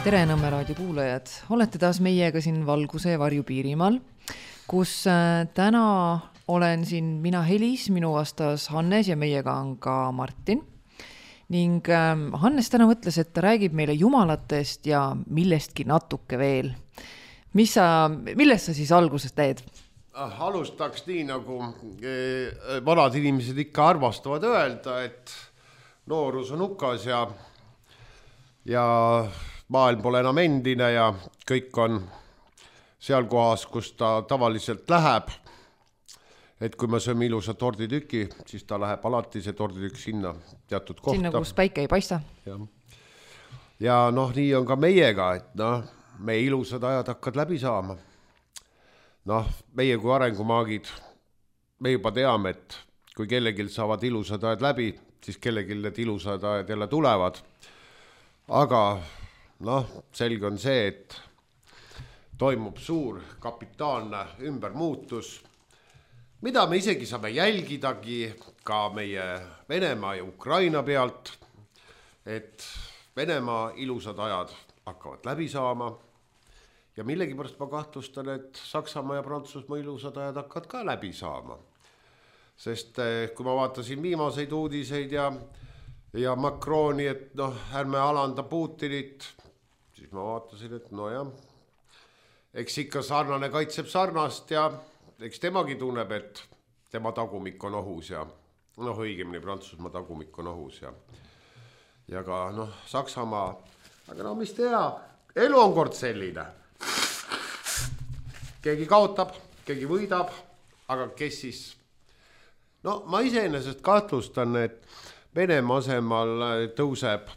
Tere Nõmme raadio kuulajad, olete taas meiega siin Valguse ja Varju Piirimaal, kus täna olen siin mina Helis, minu vastas Hannes ja meiega on ka Martin. Ning Hannes täna mõtles, et ta räägib meile jumalatest ja millestki natuke veel. Millest sa siis alguses teed? Alustaks nii, nagu vanad inimesed ikka armastavad öelda, et noorus on hukas ja maailm pole enam endine ja kõik on seal kohas, kus ta tavaliselt läheb. Et kui me sööme ilusa torditüki, siis ta läheb alati see torditükk sinna teatud kohta. Sinna, kus päike ei paista. Ja nii on ka meiega, et meie ilusad ajad hakkad läbi saama. Meie kui arengumaagid, me juba teame, et kui kellegil saavad ilusad ajad läbi, siis kellegil need ilusad ajad jälle tulevad. Aga selge on see, et toimub suur kapitaalne ümbermuutus, mida me isegi saame jälgidagi ka meie Venemaa ja Ukraina pealt, et Venemaa ilusad ajad hakkavad läbi saama ja millegipärast ma kahtlustan, et Saksamaa ja Prantsusmaa ilusad ajad hakkavad ka läbi saama. Sest kui ma vaatasin viimaseid uudiseid ja Macroni, et ärme alanda Putinit, siis ma vaatasin, et eks ikka sarnane kaitseb sarnast ja eks temagi tunneb, et tema tagumik on ohus ja õigemini Prantsusmaa tagumik on ohus ja ka Saksamaa. Aga mis teha, elu on kord selline. Keegi kaotab, keegi võidab, aga kes siis? Ma iseenesest kahtlustan, et Venemaa asemal tõuseb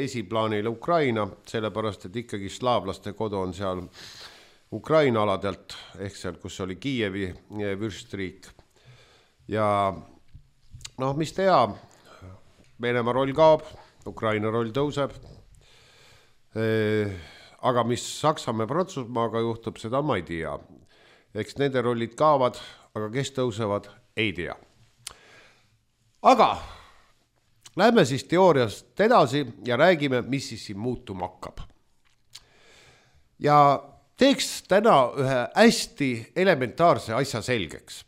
esiplaanile Ukraina, sellepärast, et ikkagi slaavlaste kodu on seal Ukraina aladelt, ehk seal, kus oli Kiievi vürstriik. Ja mis teha, Venemaa roll kaob, Ukraina roll tõuseb, aga mis Saksamaa ja Prantsusmaaga juhtub, seda ma ei tea. Eks nende rollid kaovad, aga kes tõusevad, ei tea. Aga lähme siis teooriast edasi ja räägime, mis siis siin muutuma hakkab. Ja teeks täna ühe hästi elementaarse asja selgeks.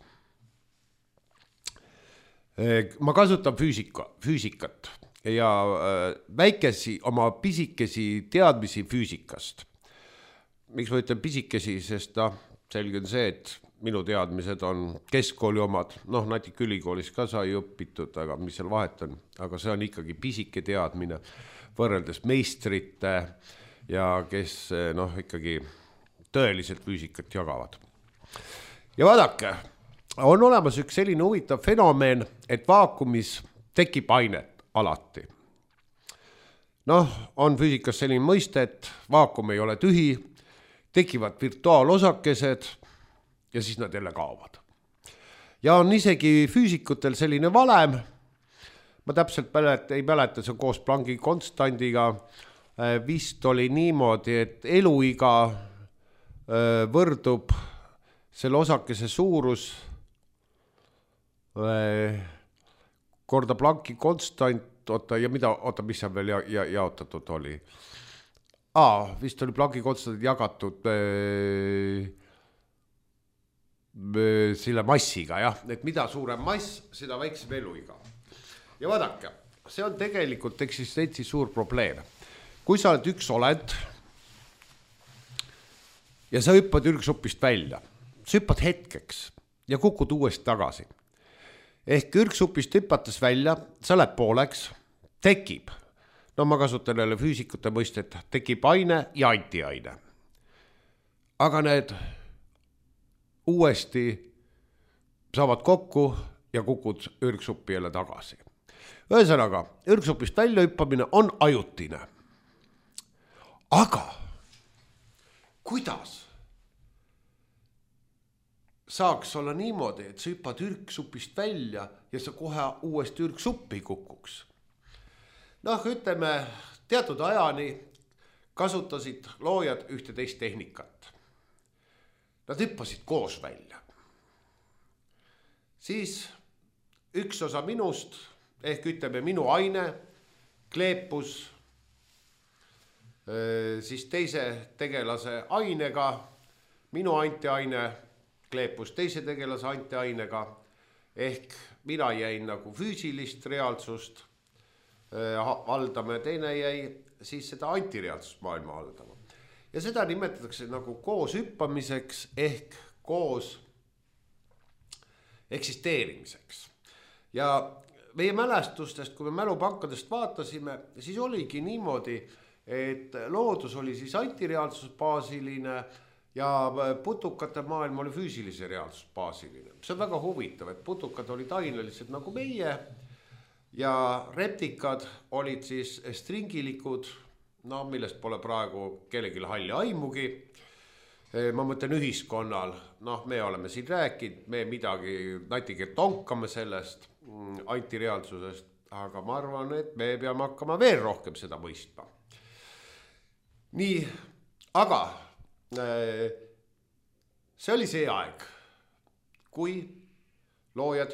Ma kasutan füüsikat ja oma pisikesi teadmisi füüsikast. Miks ma ütlen pisikesi, sest selge on see, et minu teadmised on keskkooli omad, natuke ülikoolis ka sai õpitud, aga mis seal vahet on, aga see on ikkagi pisike teadmine võrreldes meistrite ja kes ikkagi tõeliselt füüsikat jagavad. Ja vaadake, on olemas üks selline huvitav fenomen, et vaakumis tekib ainet alati. On füüsikas selline mõiste, et vaakum ei ole tühi, tekivad virtuaalosakesed ja siis nad jälle kaovad. Ja on isegi füüsikutel selline valem, ma täpselt ei mäleta, see koos Plancki konstandiga vist oli niimoodi, et eluiga võrdub selle osakese suurus korda Plancki konstant, mis seal veel jaotatud oli? Vist oli Plancki konstant jagatud selle massiga, et mida suurem mass, seda väiksem eluiga. Ja vaadake, see on tegelikult eksistentsi suur probleem. Kui sa oled üks olend ja sa hüppad ürgsupist välja, sa hüppad hetkeks ja kukud uuesti tagasi. Ehk ürgsupist hüpates välja, sa lähed pooleks, tekib, ma kasutan jälle füüsikute mõistet, tekib aine ja antiaine. Aga need uuesti saavad kokku ja kukud ürgsuppi jälle tagasi. Ühesõnaga, ürgsupist välja hüppamine on ajutine. Aga kuidas saaks olla niimoodi, et sa hüppad ürgsupist välja ja sa kohe uuesti ürgsuppi kukuks? Ütleme, teatud ajani kasutasid loojad ühte teist tehnikat. Nad hüppasid koos välja. Siis üks osa minust, ehk ütleme minu aine, kleepus siis teise tegelase ainega, minu antiaine kleepus teise tegelase antiainega, ehk mina jäin nagu füüsilist reaalsust haldama ja teine jäi siis seda antireaalsust maailma haldama. Ja seda nimetatakse nagu koos hüppamiseks ehk koos eksisteerimiseks. Ja meie mälestustest, kui me mälupankadest vaatasime, siis oligi niimoodi, et loodus oli siis antireaalsusbaasiline ja putukate maailm oli füüsilise reaalsusbaasiline. See on väga huvitav, et putukad olid ainelised nagu meie ja reptikad olid siis stringilikud, no millest pole praegu kellelgi halli aimugi. Ma mõtlen ühiskonnal, noh, me oleme siin rääkinud, me midagi natige tonkame sellest antireaalsusest, aga ma arvan, et me peame hakkama veel rohkem seda mõistma. Nii, aga see oli see aeg, kui loojad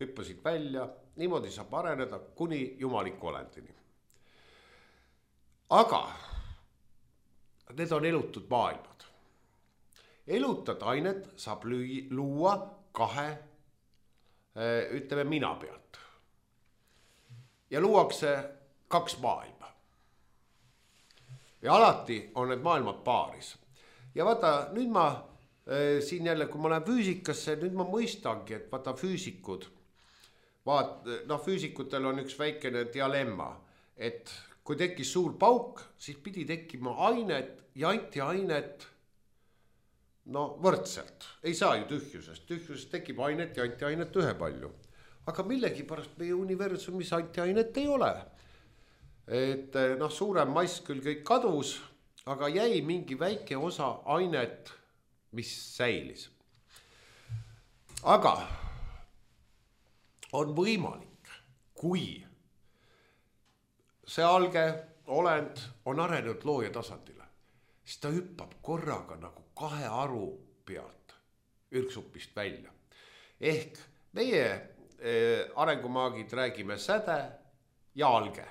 hüppasid välja, niimoodi saab areneda kuni jumaliku olendini. Aga need on elutud maailmad. Elutad ainet saab luua kahe, ütleme, mina pealt. Ja luuakse kaks maailma. Ja alati on need maailmad paaris. Ja vaata, nüüd ma siin jälle, kui ma olen füüsikasse, nüüd ma mõistangi, et vaata füüsikud, füüsikutel on üks väikene dialemma, et kui tekkis suur pauk, siis pidi tekkima ainet ja antiainet võrdselt. Ei saa ju tühjusest. Tühjusest tekib ainet ja antiainet ühepalju. Aga millegipärast meie universumis antiainet ei ole. Et suurem mass küll kõik kadus, aga jäi mingi väike osa ainet, mis säilis. Aga on võimalik, kui see alge olend on arenenud looja tasandile, siis ta hüppab korraga nagu kahe aru pealt ürksupist välja. Ehk meie arengumaagid räägime säde ja alge.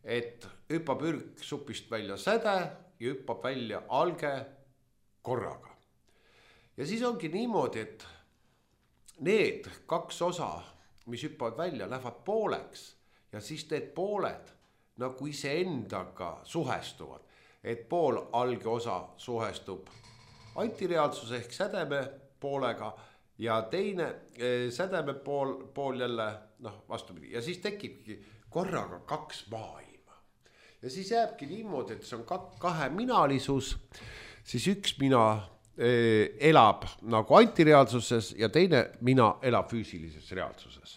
Et hüppab ürksupist välja säde ja hüppab välja alge korraga. Ja siis ongi niimoodi, et need kaks osa, mis hüppavad välja, lähevad pooleks. Ja siis need pooled nagu iseendaga suhestuvad, et pool alge osa suhestub antireaalsuse ehk sädeme poolega ja teine sädeme pool jälle vastupidi. Ja siis tekibki korraga kaks maailma. Ja siis jääbki niimoodi, et see on kahe minalisus, siis üks mina elab nagu antireaalsuses ja teine mina elab füüsilises reaalsuses.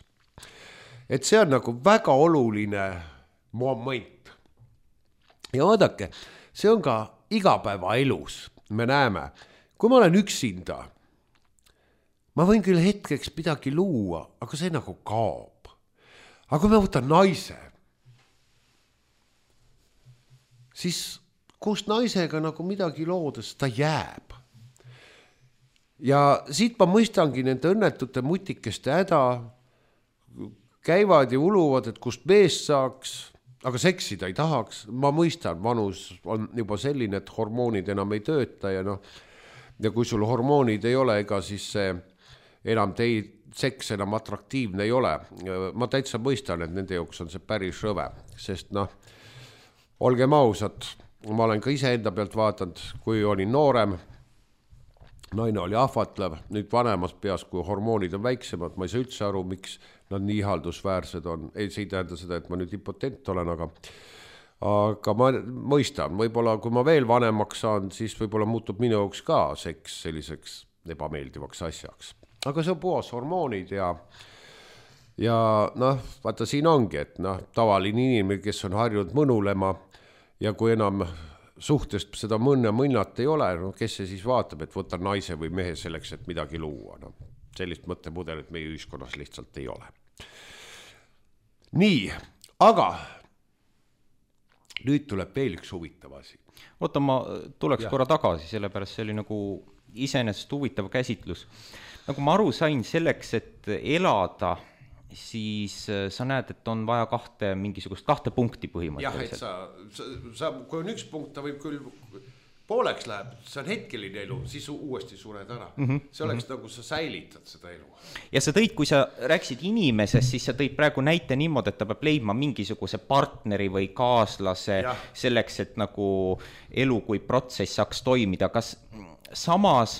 Et see on nagu väga oluline moment. Ja vaadake, see on ka igapäeva elus. Me näeme, kui ma olen üksinda, ma võin küll hetkeks midagi luua, aga see nagu kaob. Aga kui ma võtan naise, siis koos naisega nagu midagi loodes, ta jääb. Ja siit ma mõistangi nende õnnetute mutikeste häda, käivad ja uluvad, et kust meest saaks, aga seksida ei tahaks. Ma mõistan, vanus on juba selline, et hormoonid enam ei tööta ja kui sul hormoonid ei ole, ega siis see enam seks enam atraktiivne ei ole. Ma täitsa mõistan, et nende jaoks on see päris rõve, sest olgem ausad, ma olen ka ise enda pealt vaatanud, kui olin noorem, naine oli ahvatlev, nüüd vanemas peas, kui hormoonid on väiksemad, ma ei saa üldse aru, miks nad nii ihaldusväärsed on. Ei, see ei tähenda seda, et ma nüüd impotent olen, aga ma mõistan, võib-olla kui ma veel vanemaks saan, siis võib-olla muutub minu jaoks ka seks selliseks ebameeldivaks asjaks. Aga see on puhas hormoonid ja vaata siin ongi, et tavaline inimene, kes on harjunud mõnulema ja kui enam suhtest seda mõnnat ei ole, kes see siis vaatab, et võtta naise või mehe selleks, et midagi luua. Sellist mõttemudelit meie ühiskonnas lihtsalt ei ole. Nii, aga nüüd tuleb veel üks huvitav asi. Oota, ma tuleks korra tagasi, sellepärast see oli nagu iseenesest huvitav käsitlus. Nagu ma aru sain selleks, et elada siis sa näed, et on vaja mingisugust kahte punkti põhimõtteliselt. Jah, et kui on üks punkt, ta võib küll pooleks läheb, see on hetkeline elu, siis uuesti sured ära. See oleks nagu sa säilitad seda elu. Ja sa tõid, kui sa rääkisid inimesest, siis sa tõid praegu näite niimoodi, et ta peab leidma mingisuguse partneri või kaaslase selleks, et nagu elu kui protsess saaks toimida. Kas samas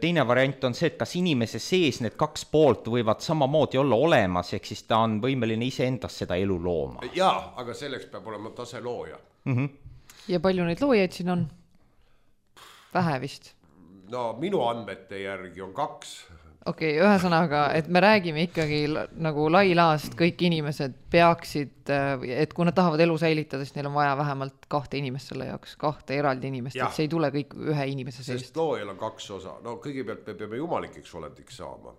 teine variant on see, et kas inimese sees need kaks poolt võivad samamoodi olla olemas, ehk siis ta on võimeline ise endast seda elu looma? Jaa, aga selleks peab olema tase looja. Ja palju neid loojaid siin on? Vähe vist. No minu andmete järgi on 2. Okei, ühesõnaga, et me räägime ikkagi nagu lailaast, kõik inimesed peaksid, et kui nad tahavad elu säilitada, siis neil on vaja vähemalt 2 inimest selle jaoks, 2 eraldi inimest, et see ei tule kõik ühe inimese seest. Sest loojal on 2 osa. No kõigepealt me peame jumalikeks olendiks saama.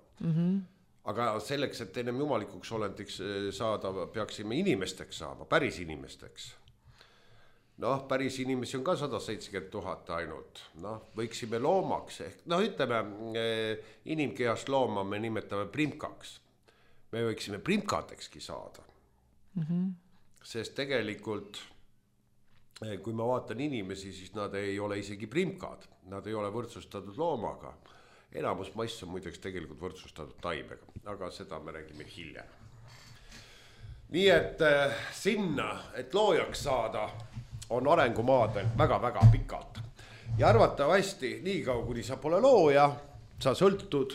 Aga selleks, et ennem jumalikuks olendiks saada, peaksime inimesteks saama, päris inimesteks. Noh, päris inimesi on ka 170 000 ainult. Noh, võiksime loomaks ehk, ütleme, inimkehast looma me nimetame primkaks. Me võiksime primkadekski saada. Sest tegelikult, kui ma vaatan inimesi, siis nad ei ole isegi primkad. Nad ei ole võrdsustatud loomaga. Enamus mass on muideks tegelikult võrdsustatud taimega, aga seda me räägime hiljem. Nii et sinna, et loojaks saada, on arengumaadel väga-väga pikalt. Ja arvatavasti, nii kaua kuni sa pole looja, sa sõltud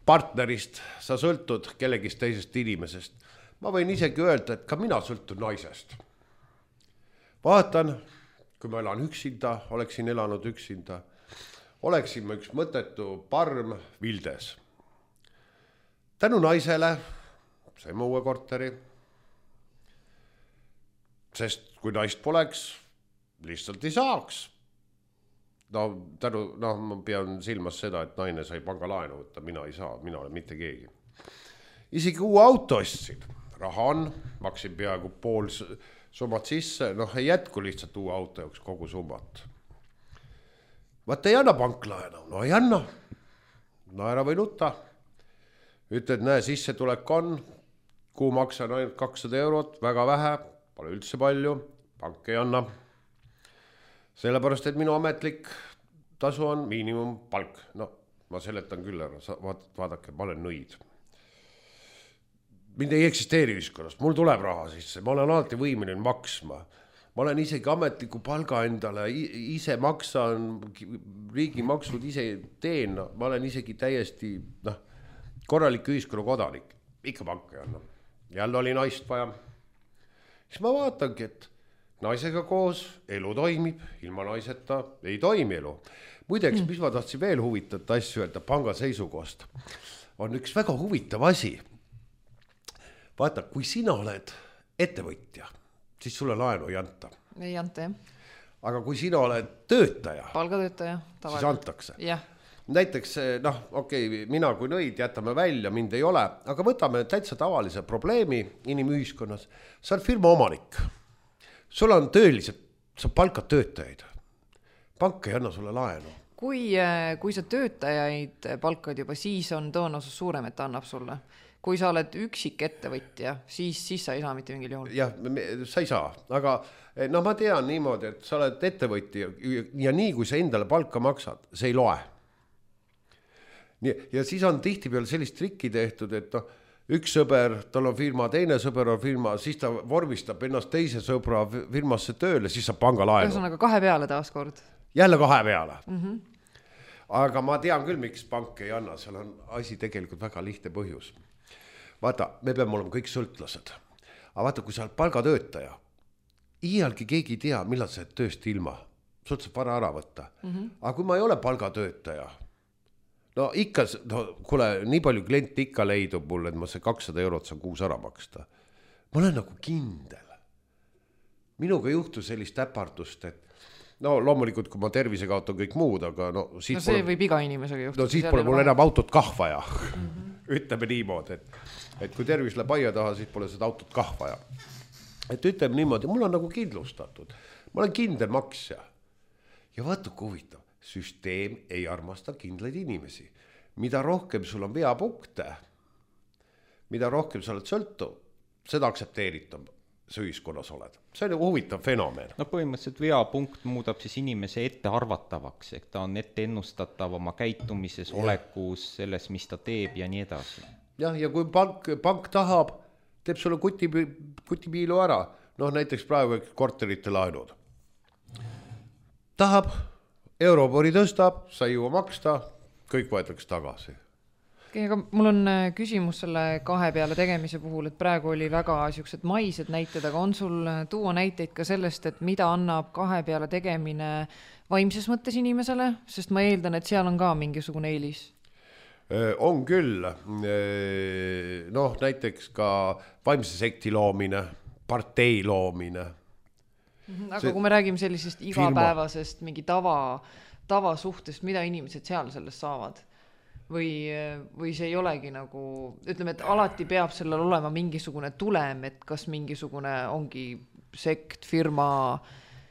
partnerist, sa sõltud kellegist teisest inimesest. Ma võin isegi öelda, et ka mina sõltun naisest. Vaatan, kui ma elan üksinda, oleksin elanud üksinda, oleksin ma üks mõttetu parm Vildes. Tänu naisele saime uue korteri. Sest kui naist poleks, lihtsalt ei saaks. Ma pean silmas seda, et naine sai pangalaenu võtta, mina ei saa, mina olen mitte keegi. Isegi uue auto ostsin. Raha on, maksin peaaegu pool summat sisse, ei jätku lihtsalt uue auto jaoks kogu summat. Vaata ei anna panklaenu, ei anna. Naera või nuta. Ütled, näe, sisse tulek on, kuu maksan ainult 200 eurot, väga vähe. Pole üldse palju, pank ei anna. Sellepärast, et minu ametlik tasu on miinimumpalk. Ma seletan küll ära, vaadake, ma olen nõid. Mind ei eksisteeri ühiskonnas, mul tuleb raha sisse, ma olen alati võimeline maksma. Ma olen isegi ametliku palga endale, ise maksan, riigi maksud ise teen, ma olen isegi täiesti korralik ühiskonna kodanik. Ikka pank ei anna. Jälle oli naist vaja. Siis ma vaatangi, et naisega koos elu toimib, ilma naiseta ei toimi elu. Muideks, mis ma tahtsin veel huvitavat asju öelda panga seisukohast, on üks väga huvitav asi. Vaata, kui sina oled ettevõtja, siis sulle laenu ei anta. Ei anta, jah. Aga kui sina oled töötaja, palgatöötaja, siis antakse. Jah. Näiteks, mina kui nõid jätame välja, mind ei ole, aga võtame täitsa tavalise probleemi inimühiskonnas. Sa oled firma omanik. Sul on töölised, sa palkad töötajaid. Pank ei anna sulle laenu. Kui sa töötajaid palkad juba, siis on tõenäosus suurem, et ta annab sulle. Kui sa oled üksik ettevõtja, siis sa ei saa mitte mingil juhul. Jah, sa ei saa, aga ma tean niimoodi, et sa oled ettevõtja ja nii kui sa endale palka maksad, see ei loe. Ja siis on tihtipeale sellist trikki tehtud, et üks sõber, tal on firma, teine sõber on firma, siis ta vormistab ennast teise sõbra firmasse tööle, siis saab panga laenu. Ühesõnaga 2 peale taaskord. Jälle 2 peale. Aga ma tean küll, miks pank ei anna, seal on asi tegelikult väga lihtne põhjus. Vaata, me peame olema kõik sõltlased. Aga vaata, kui sa oled palgatöötaja, iialgi keegi ei tea, millal sa oled tööst ilma. Sult saab vara ära võtta. Aga kui ma ei ole palgatöötaja, kuule, nii palju klienti ikka leidub mulle, et ma see 200 eurot saan kuus ära maksta. Ma olen nagu kindel. Minuga juhtus sellist äpardust, et loomulikult, kui ma tervise kaotan kõik muud, aga see võib iga inimesega juhtuda. Siis pole mul enam autot kah vaja. Ütleme niimoodi, et kui tervis läheb aia taha, siis pole seda autot kah vaja. Et ütleme niimoodi, mul on nagu kindlustatud. Ma olen kindel maksja. Ja vaata, kui huvitav. Süsteem ei armasta kindlaid inimesi. mida rohkem sul on veapunkte, mida rohkem sa oled sõltuv, seda aktsepteeritab sa ühiskonnas oled. See on nagu huvitav fenomen. No põhimõtteliselt veapunkt muudab siis inimese ettearvatavaks, ehk ta on ette ennustatav oma käitumises, olekus, selles, mis ta teeb ja nii edasi. Jah, ja kui pank tahab, teeb sulle kutipiilu ära, noh näiteks praegu korterite laenud. Tahab, Eurobori tõstab, sa ei jõua maksta, kõik võetakse tagasi. Aga mul on küsimus selle kahe peale tegemise puhul, et praegu oli väga siuksed maised näited, aga on sul tuua näiteid ka sellest, et mida annab kahe peale tegemine vaimses mõttes inimesele, sest ma eeldan, et seal on ka mingisugune eelis? On küll, noh näiteks ka vaimse sekti loomine, partei loomine. Aga kui me räägime sellisest igapäevasest mingi tavasuhtest, mida inimesed seal sellest saavad? Või see ei olegi nagu, ütleme, et alati peab sellel olema mingisugune tulem, et kas mingisugune ongi sekt, firma.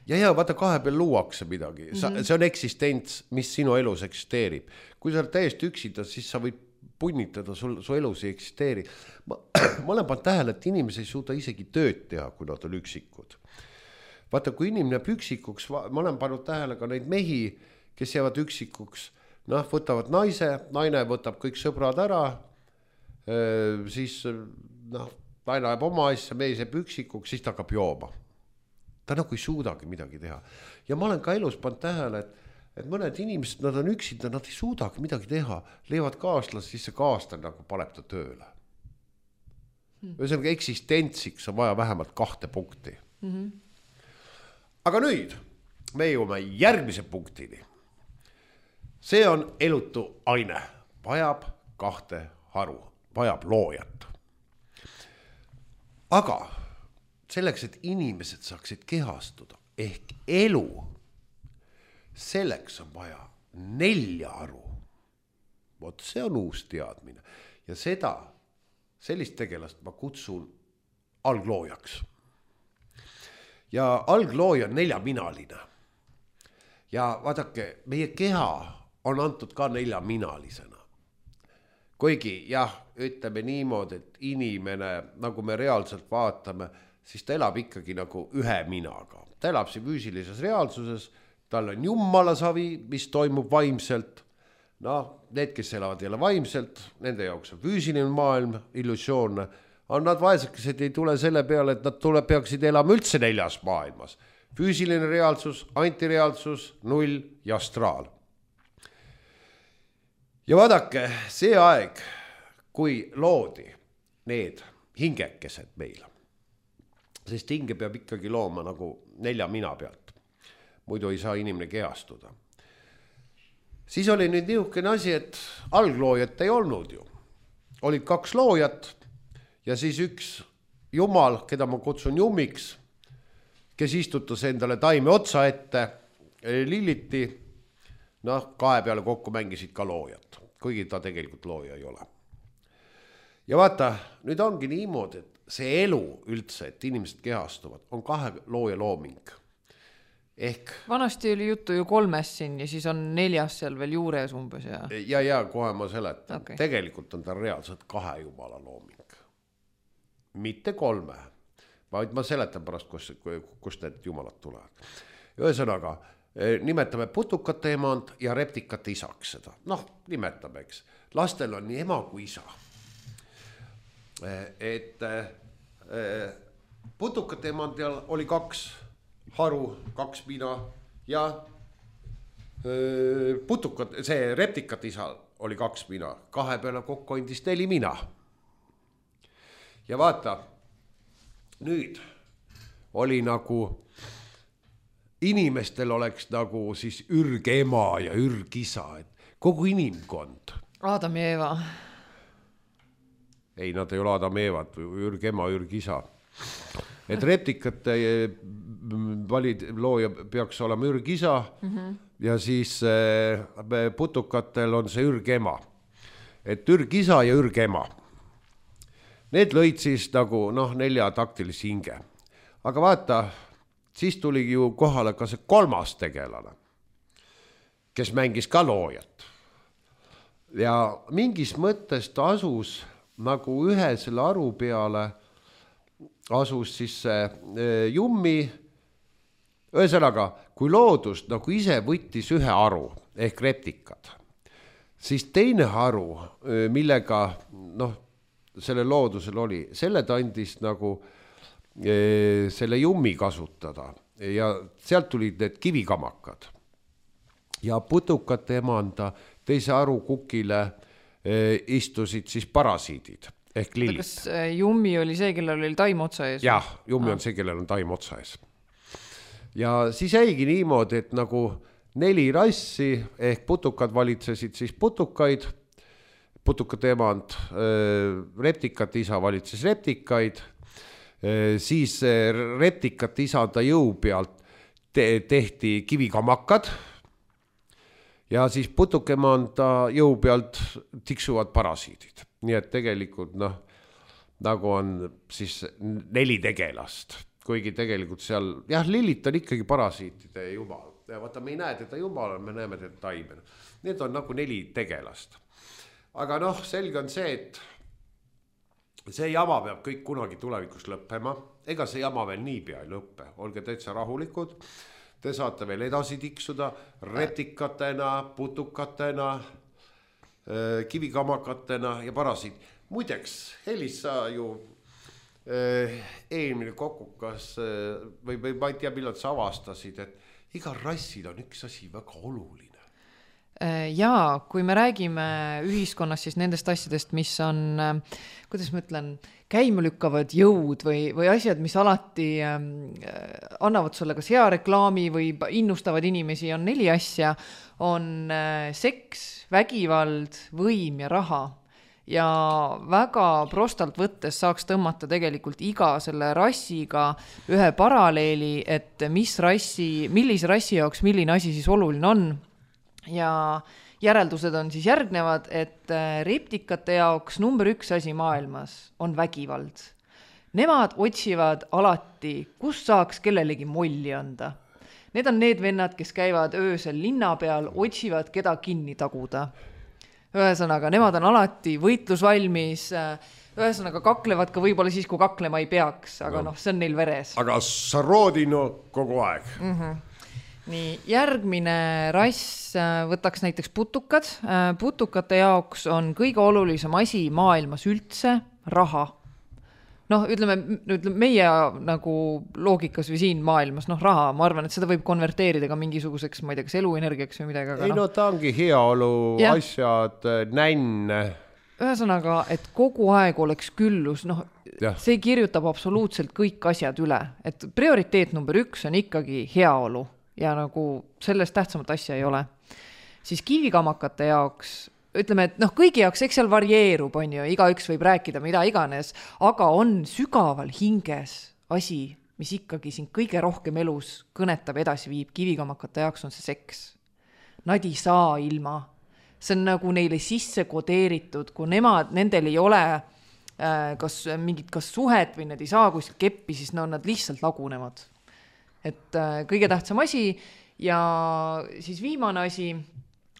Ja vaata kahe peal luuakse midagi, see on eksistents, mis sinu elus eksisteerib. Kui sa oled täiesti üksida, siis sa võid punnitada, su elus ei eksisteeri. Ma olen pannud tähele, et inimesed ei suuda isegi tööd teha, kui nad on üksikud. Vaata, kui inimene üksikuks, ma olen pannud tähele ka neid mehi, kes jäävad üksikuks, noh, võtavad naine võtab kõik sõbrad ära, siis noh, naine ajab oma asja, mees jääb üksikuks, siis ta hakkab jooma. Ta nagu ei suudagi midagi teha. Ja ma olen ka elus pannud tähele, et mõned inimesed, nad on üksinda, nad ei suudagi midagi teha, leivad kaaslas, siis see kaaslane nagu paneb ta tööle. Ühesõnaga eksistentsiks on vaja vähemalt 2 punkti. Aga nüüd me jõuame järgmise punktini. See on elutu aine, vajab 2 haru, vajab loojat. Aga selleks, et inimesed saaksid kehastuda ehk elu, selleks on vaja 4 haru. Vot see on uus teadmine ja sellist tegelast ma kutsun algloojaks. Ja alglooja on 4-minaline. Ja vaadake, meie keha on antud ka 4-minalisena. Kuigi jah, ütleme niimoodi, et inimene, nagu me reaalselt vaatame, siis ta elab ikkagi nagu 1 minaga. Ta elab siin füüsilises reaalsuses, tal on jumalasavi, mis toimub vaimselt. Need, kes elavad jälle vaimselt, nende jaoks on füüsiline maailm, illusioonne. On nad vaesekesed ei tule selle peale, et nad peaksid elama üldse 4 maailmas. Füüsiline reaalsus, antireaalsus, 0 ja astraal. Ja vaadake, see aeg, kui loodi need hingekesed meil, sest hinge peab ikkagi looma nagu 4 mina pealt, muidu ei saa inimene kehastuda. Siis oli nüüd niisugune asi, et algloojat ei olnud ju. Olid 2 loojat ja siis üks jumal, keda ma kutsun jummiks, kes istutas endale taime otsa ette, lilliti, kahe peale kokku mängisid ka loojat, kuigi ta tegelikult looja ei ole. Ja vaata, nüüd ongi niimoodi, et see elu üldse, et inimesed kehastuvad, on 2 looja looming. Ehk... Vanasti oli juttu ju 3 siin ja siis on 4 seal veel juures umbes. Ja kohe ma seletan. Okay. Tegelikult on ta reaalselt 2 jumala looming. Mitte 3, vaid ma seletan pärast, kust need jumalad tulevad. Ühesõnaga, nimetame putukate emand ja reptikate isaks seda. Nimetame, eks. Lastel on nii ema kui isa. Et putukate emandil oli 2 haru, 2 mina ja see reptikate isa oli 2 mina. 2 peale kokku andis 4 mina. Ja vaata, nüüd oli nagu inimestel oleks nagu siis ürgema ja ürgisa, et kogu inimkond. Adam ja Eva. Ei, nad ei ole Adam ja Evad, ürgema, ürgisa. Et reptikate looja peaks olema ürgisa ja siis putukatel on see ürgema. Et ürgisa ja ürgema. Need lõid siis nagu 4 taktilisi hinge. Aga vaata, siis tuli ju kohale ka see 3. tegelane, kes mängis ka loojat. ja mingis mõttes ta asus nagu ühe selle aru peale, asus siis see Jummi, ühesõnaga, kui loodus nagu ise võttis ühe aru ehk reptikad, siis teine aru, millega selle loodusel oli, selle ta andis nagu selle Jummi kasutada ja sealt tulid need kivikamakad ja putukate emanda teise aru kukile istusid siis parasiidid ehk lillid. Kas Jummi oli see, kellel oli taim otsa ees? Jah, Jummi on see, kellel on taim otsa ees. Ja siis jäigi niimoodi, et nagu 4 rassi ehk putukad valitsesid siis putukaid, putukate emand, reptikate isa valitses reptikaid, siis reptikate isanda jõu pealt tehti kivikamakad ja siis putukemanda jõu pealt tiksuvad parasiidid. Nii et tegelikult nagu on siis 4 tegelast, kuigi tegelikult seal, jah, lillit on ikkagi parasiitide jumal. Ja vaata, me ei näe teda jumal, me näeme teda taimen. Need on nagu 4 tegelast. Aga selge on see, et see jama peab kõik kunagi tulevikus lõppema. Ega see jama veel niipea ei lõppe. Olge täitsa rahulikud. Te saate veel edasi tiksuda reptikatena, putukatena, kivikamakatena ja parasiit. Muideks, Helis, sa ju eelmine kokukas või ma ei tea, millal sa avastasid, et igal rassil on üks asi väga oluline. Jaa, kui me räägime ühiskonnas siis nendest asjadest, mis on, kuidas ma ütlen, käimelükkavad jõud või asjad, mis alati annavad sulle kas hea reklaami või innustavad inimesi, on 4 asja, on seks, vägivald, võim ja raha. Ja väga prostalt võttes saaks tõmmata tegelikult iga selle rassiga ühe paralleeli, et millise rassi jaoks milline asi siis oluline on. Ja järeldused on siis järgnevad, et reptikate jaoks number 1 asi maailmas on vägivald. Nemad otsivad alati, kus saaks kellelegi molli anda. Need on need vennad, kes käivad öösel linna peal, otsivad keda kinni taguda. Ühesõnaga, nemad on alati võitlusvalmis, ühesõnaga kaklevad ka võib-olla siis, kui kaklema ei peaks, aga see on neil veres. Aga Sarodino kogu aeg. Nii, järgmine rass võtaks näiteks putukad. Putukate jaoks on kõige olulisem asi maailmas üldse raha. Ütleme meie nagu loogikas või siin maailmas, raha, ma arvan, et seda võib konverteerida ka mingisuguseks, ma ei tea, kas eluenergiaks või midagi. Aga ei, ta ongi heaolu asjad, nänn. Ühesõnaga, et kogu aeg oleks küllus, see kirjutab absoluutselt kõik asjad üle. Et prioriteet number 1 on ikkagi heaolu ja nagu sellest tähtsamat asja ei ole. Siis kivikamakate jaoks ütleme, et kõigi jaoks, eks seal varieerub, on ju, igaüks võib rääkida mida iganes, aga on sügaval hinges asi, mis ikkagi siin kõige rohkem elus kõnetab edasi viib. Kivikamakate jaoks on see seks. Nad ei saa ilma. See on nagu neile sisse kodeeritud, kui nendel ei ole kas suhet või nad ei saa kuskilt keppi, siis nad lihtsalt lagunevad. Et kõige tähtsam asi ja siis viimane asi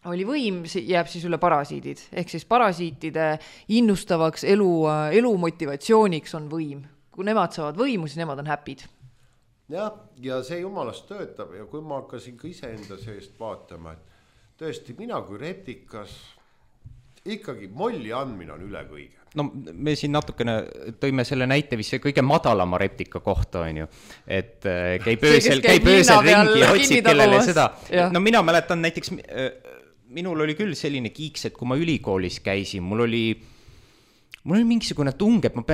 oli võim, jääb siis üle parasiidid. Ehk siis parasiitide innustavaks elu motivatsiooniks on võim. Kui nemad saavad võimu, siis nemad on happy'd. Ja see jumalast töötab ja kui ma hakkasin ka iseenda seest vaatama, et tõesti mina kui reptikas ikkagi molli andmine on üle kõige. No me siin natukene tõime selle näite vist kõige madalama reptika kohta, on ju. Et käib öösel ringi ja otsib kellele seda. No mina mäletan näiteks, minul oli küll selline kiiks, et kui ma ülikoolis käisin, mul oli mingisugune tung, et ma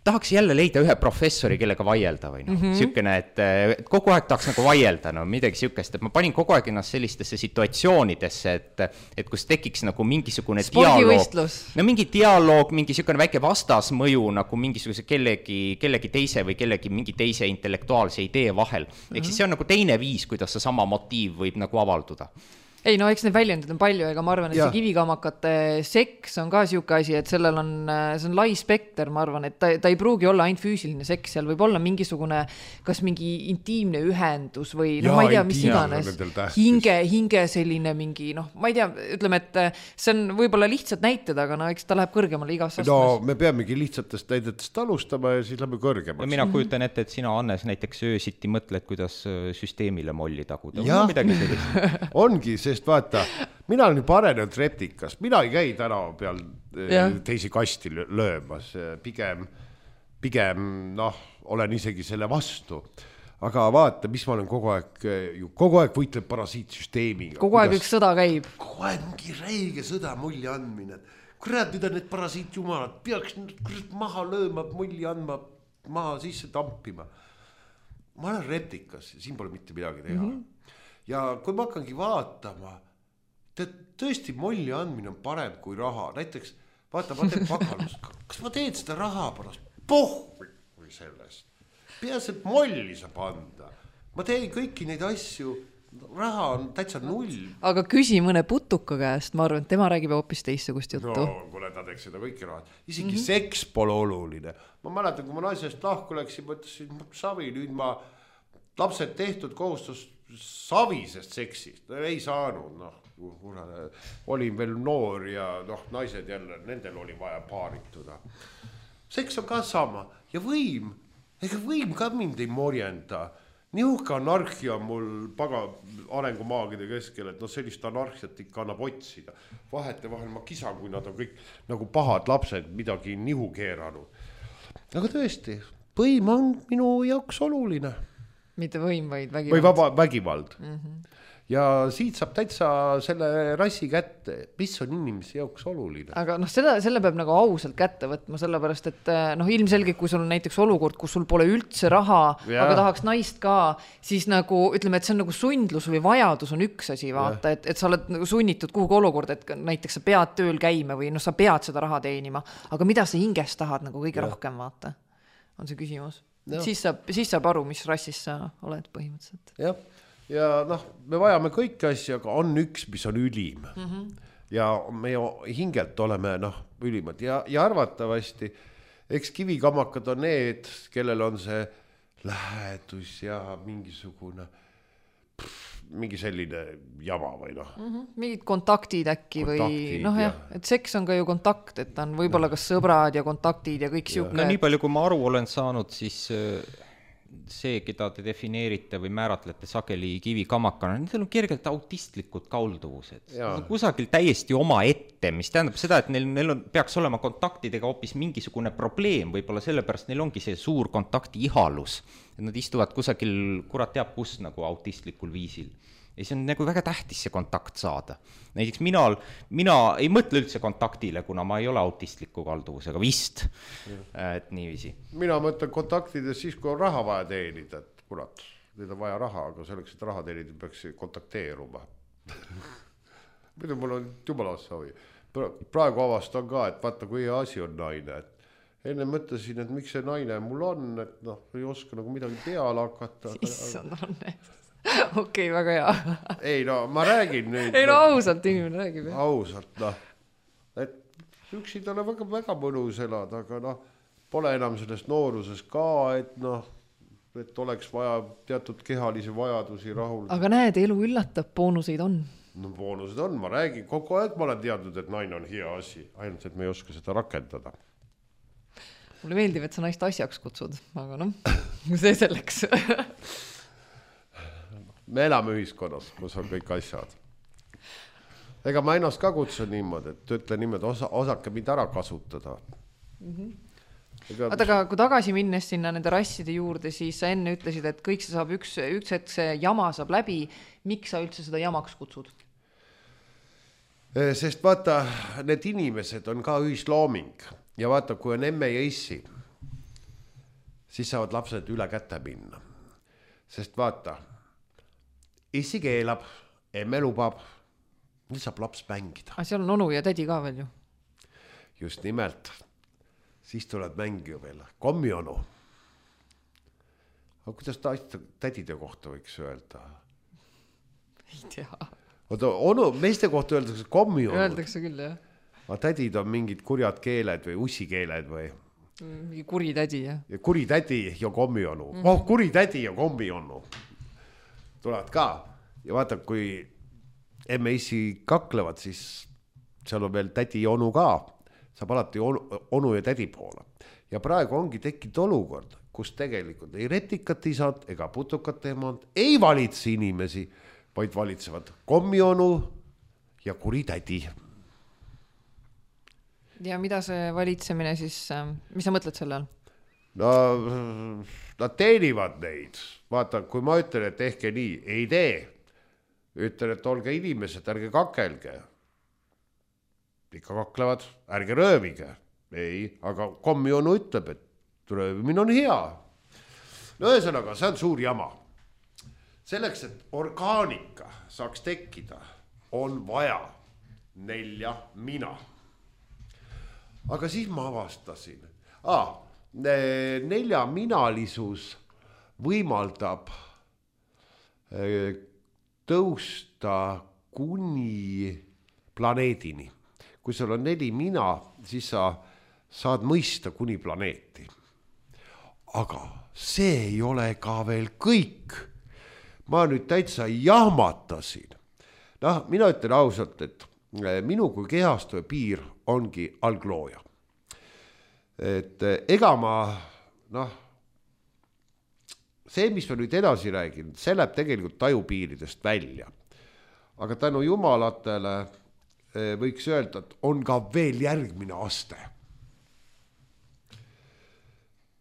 tahaks jälle leida ühe professori, kellega vaielda või Sükene, et kogu aeg tahaks nagu vaielda, midagi sükest, et ma panin kogu aeg ennast sellistesse situatsioonidesse, et kus tekiks nagu mingisugune dialoog. No mingi dialoog, mingi sükene väike vastasmõju nagu mingisuguse kellegi teise või mingi teise intellektuaalse idee vahel. Ehk siis see on nagu teine viis, kuidas see sama motiiv võib nagu avalduda. Ei, no eks need väljendid on palju, ega ma arvan, et see kivikamakate seks on ka siuke asi, et sellel on, see on lai spekter, ma arvan, et ta ei pruugi olla ainult füüsiline seks, seal võib olla mingisugune, kas mingi intiimne ühendus või no ma ei tea, mis iganes, hinge selline mingi, noh, ma ei tea, ütleme, et see on võib-olla lihtsad näited, aga no eks ta läheb kõrgemale igas astmes. No me peamegi lihtsatest näidetest alustama ja siis lähme kõrgemaks. Ja mina kujutan ette, et sina, Hannes, näiteks öösiti mõtled, kuidas süsteemile molli taguda. Ja. Midagi sellist. Ongi, sest vaata, mina olen juba arenenud reptikas, mina ei käi tänava peal teisi kasti löömas, pigem noh, olen isegi selle vastu. Aga vaata, mis ma olen kogu aeg võitleb parasiitsüsteemiga. Kogu aeg üks sõda käib. Kogu aeg mingi räige sõda mulli andmine. Kurat, mida need parasiitjumalad peaks maha lööma, mulli andma, maha sisse tampima. Ma olen reptikas ja siin pole mitte midagi teha. Ja kui ma hakkangi vaatama, tõesti molli andmine on parem kui raha. Näiteks, vaata, ma teen pakalust. Kas ma teen seda raha pärast? Või sellest. Peas, et molli saab anda. Ma teen kõiki neid asju. Raha on täitsa null. Aga küsi mõne putuka käest. Ma arvan, et tema räägib hoopis teistsugust juttu. No, kuule, ta teeks seda kõiki raha. Isegi seks pole oluline. Ma mäletan, kui ma naisest lahku läksin, mõtlesin, savi, nüüd ma lapsed tehtud kohustus savisest seksist, ei saanud, olin veel noor ja naised jälle, nendel oli vaja paarituda. Seks on ka sama ja võim ka mind ei morjenda. Niuhka anarhia on mul arengumaagide keskel, et sellist anarhiat ikka annab otsida. Vahetevahel ma kisan, kui nad on kõik nagu pahad lapsed midagi nihu keeranud. Aga tõesti, võim on minu jaoks oluline. Mitte võim, vaid vägivald. Või vaba vägivald. Ja siit saab täitsa selle rassi kätte, mis on inimese jaoks oluline. Aga selle peab nagu ausalt kätte võtma, sellepärast, et ilmselgelt, kui sul on näiteks olukord, kus sul pole üldse raha, aga tahaks naist ka, siis nagu, ütleme, et see on nagu sundlus või vajadus on üks asi, vaata, et sa oled nagu sunnitud kuhugi olukord, et näiteks sa pead tööl käima või sa pead seda raha teenima, aga mida sa hingest tahad nagu kõige rohkem, vaata, on see küsimus. Siis saab aru, mis rassis sa oled põhimõtteliselt. Ja me vajame kõiki asja, aga on üks, mis on ülim. Ja me hingelt oleme ülimad. Ja arvatavasti, eks kivikamakad on need, kellel on see lähedus ja mingi selline jama või mingid kontaktid äkki või et seks on ka ju kontakt, et on võib-olla kas sõbrad ja kontaktid ja kõik siuke. No nii palju, kui ma aru olen saanud, siis see, keda te defineerite või määratlete sageli kivikamakana, nendel on kergelt autistlikud kalduvused. Kusagil täiesti oma ette, mis tähendab seda, et neil peaks olema kontaktidega hoopis mingisugune probleem, võib-olla sellepärast neil ongi see suur kontakti ihalus. Et nad istuvad kusagil, kurat teab kus nagu autistlikul viisil. Ja see on nagu väga tähtis see kontakt saada. Näiteks mina ei mõtle üldse kontaktile, kuna ma ei ole autistliku kalduvusega vist, et niiviisi. Mina mõtlen kontaktides siis, kui on raha vaja teenida, et kurat, need on vaja raha, aga selleks, et raha teenida, peaks kontakteeruma. Mida mul on jumalast savi. Praegu avastan ka, et vaata, kui asi on naine, et enne mõtlesin, et miks see naine mul on, et ei oska nagu midagi peale hakata. Issand Hannes. Okei, väga hea. Ei, ma räägin nüüd. Ei, ausalt inimene räägib. Ausalt, et üksid ole väga mõnus elada, aga pole enam sellest nooruses ka, et oleks vaja teatud kehalisi vajadusi rahul. Aga näed, elu üllatab, boonuseid on. No boonused on, ma räägin, kogu aeg ma olen teadnud, et naine on hea asi, ainult, et me ei oska seda rakendada. Mulle meeldib, et sa naist asjaks kutsud, aga see selleks. Me elame ühiskonnas, kus on kõik asjad. Ega ma ennast ka kutsun niimoodi, et ütlen niimoodi, osake mind ära kasutada. Aga kui tagasi minnes sinna nende rasside juurde, siis sa enne ütlesid, et kõik see saab üks hetk see jama saab läbi. Miks sa üldse seda jamaks kutsud? Sest vaata, need inimesed on ka ühislooming. Ja vaata, kui on emme ja issi, siis saavad lapsed üle kätte minna. Sest vaata, issi keelab, emme lubab, nüüd saab laps mängida. Aga seal on onu ja tädi ka veel ju. Just nimelt. Siis tuleb mängija veel. Kommionu. Aga kuidas tädide kohta võiks öelda? Ei tea. oota, meeste kohta öeldakse kommi-onud. Öeldakse küll, jah. Aga tädid on mingid kurjad keeled või ussikeeled või? Mingi kuri tädi, jah. Ja kuri tädi ja kommi-onu. Kuri tädi ja kommi-onu. Tulevad ka. Ja vaata, kui emme-issi kaklevad, siis seal on veel tädi ja onu ka. Saab alati onu ja tädi poole. Ja praegu ongi tekkinud olukord, kus tegelikult ei retikat isad ega putukat emand ei valitse inimesi, vaid valitsevad kommi-onu ja kuri tädi. Ja mida see valitsemine siis, mis sa mõtled selle all? No, nad teenivad neid. Vaata, kui ma ütlen, et tehke nii, ei tee. Ütlen, et olge inimesed, ärge kakelge. Ikka kaklevad, ärge röövige. Ei, aga kommi-onu ütleb, et röövimine on hea. No ühesõnaga, see on suur jama. Selleks, et orgaanika saaks tekkida, on vaja 4 mina. Aga siis ma avastasin. 4 minalisus võimaldab tõusta kuni planeedini. Kui sul on 4 mina, siis sa saad mõista kuni planeeti. Aga see ei ole ka veel kõik. Ma nüüd täitsa jahmatasin. Mina ütlen ausalt, et minu kui kehastuja piir ongi alglooja. Et ega ma, see, mis ma nüüd edasi räägin, see läheb tegelikult tajupiiridest välja. Aga tänu jumalatele võiks öelda, et on ka veel järgmine aste.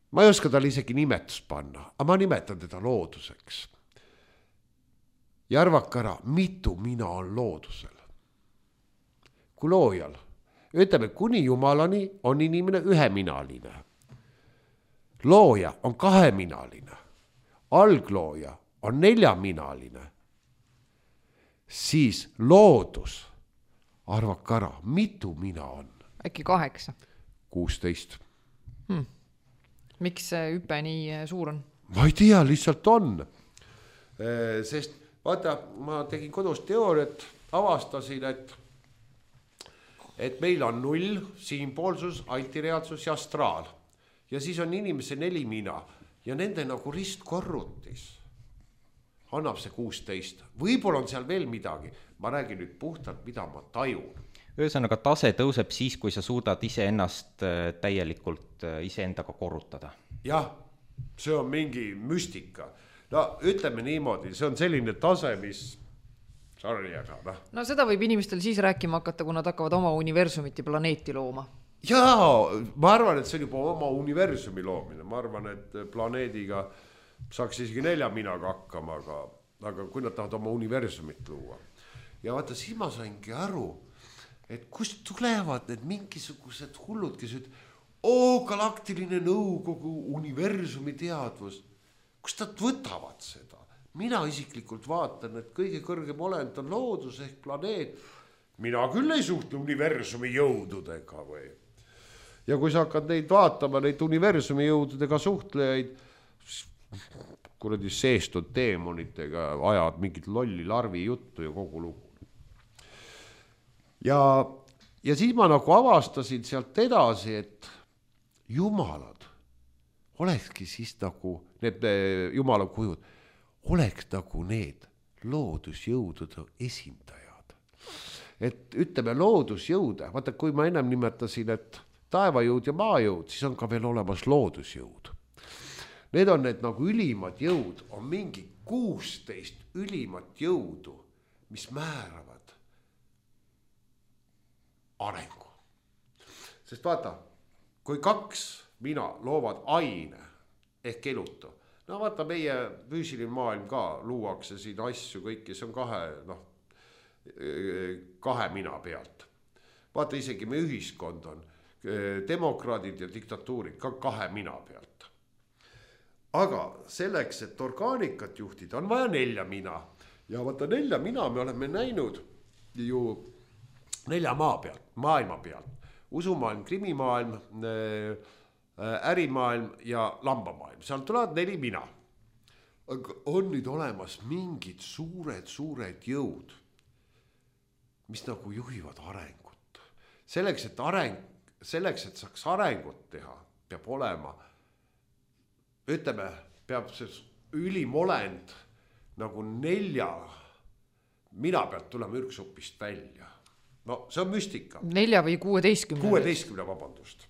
Ma ei oska talle isegi nimetust panna, aga ma nimetan teda looduseks. Ja arvake ära, mitu mina on loodusel. Kui loojal. Ütleme, kuni jumalani on inimene 1-minaline. Looja on 2-minaline. Alglooja on 4-minaline. Siis loodus, arvake ära, mitu mina on? Äkki 8? 16. Miks see hüpe nii suur on? Ma ei tea, lihtsalt on. Sest vaata, ma tegin kodus teooriat, avastasin, et meil on 0, siinpoolsus, antireaalsus ja astraal. Ja siis on inimese 4 mina ja nende nagu ristkorrutis annab see 16. Võib-olla on seal veel midagi. Ma räägin nüüd puhtalt, mida ma tajun. Ühesõnaga tase tõuseb siis, kui sa suudad iseennast täielikult iseendaga korrutada. Jah, see on mingi müstika. No ütleme niimoodi, see on selline tase, mis sorry, aga No seda võib inimestel siis rääkima hakata, kui nad hakkavad oma universumit ja planeeti looma. Jaa, ma arvan, et see on juba oma universumi loomine. Ma arvan, et planeediga saaks isegi 4 minaga hakkama, aga kui nad tahavad oma universumit luua. Ja vaata, siis ma saingi aru, et kust tulevad need mingisugused hullud, kes galaktiline nõukogu, universumi teadvus. Kust nad võtavad seda? Mina isiklikult vaatan, et kõige kõrgem olend on loodus ehk planeet. Mina küll ei suhtle universumi jõududega või. Ja kui sa hakkad neid vaatama, neid universumi jõududega suhtlejaid, kuradi seestud teemonitega ajad mingit lolli larvi juttu ja kogu lugu. Ja siis ma nagu avastasin sealt edasi, et jumalad olekski siis nagu need jumala kujud, oleks nagu need loodusjõudude esindajad. Et ütleme loodusjõude, vaata kui ma ennem nimetasin, et taevajõud ja maajõud, siis on ka veel olemas loodusjõud. Need on need nagu ülimad jõud, on mingi 16 ülimat jõudu, mis määravad arengu. Sest vaata, kui 2 mina loovad aine ehk elutu, no vaata meie füüsiline maailm ka luuakse siin asju kõiki, see on 2 mina pealt. Vaata isegi meie ühiskond on demokraadid ja diktatuurid ka 2 mina pealt. Aga selleks, et orgaanikat juhtida, on vaja 4 mina. Ja vaata 4 mina me oleme näinud ju 4 maa pealt, maailma pealt. Usumaailm, krimimaailm, ärimaailm ja lambamaailm. Seal tulevad 4 mina. Aga on nüüd olemas mingid suured jõud, mis nagu juhivad arengut. Selleks, et saaks arengut teha, peab olema, ütleme, peab see ülimolend nagu 4 mina pealt tulema ürgsupist välja. No see on müstika. 4 või 16? 16, vabandust.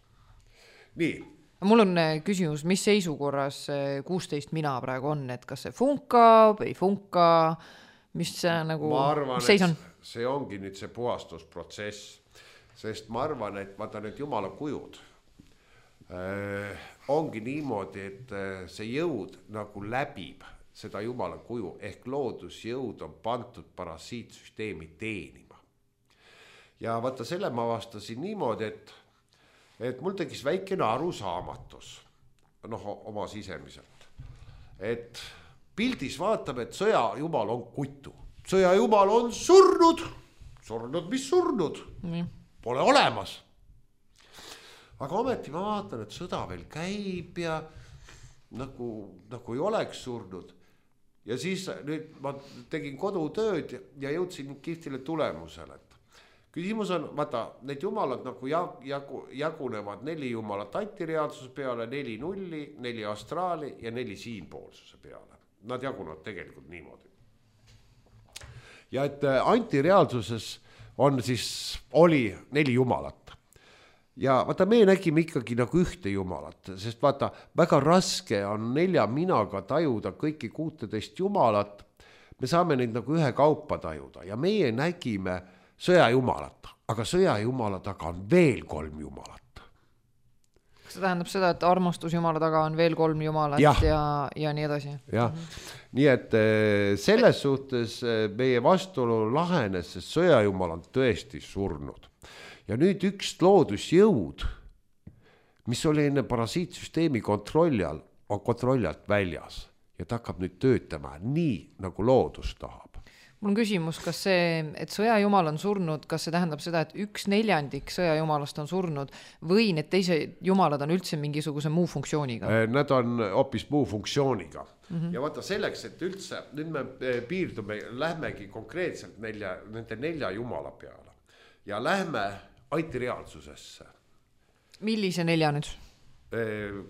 Nii. Mul on küsimus, mis seisukorras 16 mina praegu on, et kas see funkab, ei funka, mis see nagu... Ma arvan, seis on? See ongi nüüd see puhastusprotsess, sest ma arvan, et vaata need jumala kujud ongi niimoodi, et see jõud nagu läbib seda jumala kuju, ehk loodusjõud on pandud parasiitsüsteemi teenima. Ja vaata selle ma vastasin niimoodi, et mul tegis väikene arusaamatus, oma sisemiselt, et pildis vaatab, et sõjajumal on kutu. Sõjajumal on surnud, mis surnud, pole olemas. Aga ometi ma vaatan, et sõda veel käib ja nagu ei oleks surnud. Ja siis nüüd ma tegin kodutööd ja jõudsin kihvtile tulemusele. Küsimus on, vaata, need jumalad nagu jagunevad 4 jumalat antireaalsuse peale, 4 nulli, 4 astraali ja 4 siinpoolsuse peale. Nad jagunevad tegelikult niimoodi. Ja et antireaalsuses oli 4 jumalat. Ja vaata, me nägime ikkagi nagu ühte jumalat, sest vaata, väga raske on 4 minaga tajuda kõiki 16 jumalat. Me saame neid nagu ühe kaupa tajuda ja meie nägime sõjajumalat, aga sõjajumala taga on veel 3 jumalat. Kas see tähendab seda, et armastusjumala taga on veel 3 jumalat ja nii edasi? Jah, nii et selles suhtes meie vastuolu lahenes, sest sõjajumal on tõesti surnud. Ja nüüd üks loodusjõud, mis oli enne parasiitsüsteemi kontrolli all, on kontrolli alt väljas ja ta hakkab nüüd töötama nii, nagu loodus tahab. Mul on küsimus, kas see, et sõjajumal on surnud, kas see tähendab seda, et 1/4 sõjajumalast on surnud või need teised jumalad on üldse mingisuguse muu funktsiooniga? Nad on hoopis muu funktsiooniga. Ja vaata selleks, et üldse, nüüd me piirdume, lähmegi konkreetselt nende 4 jumala peale ja lähme antireaalsusesse. Millise 4 nüüd?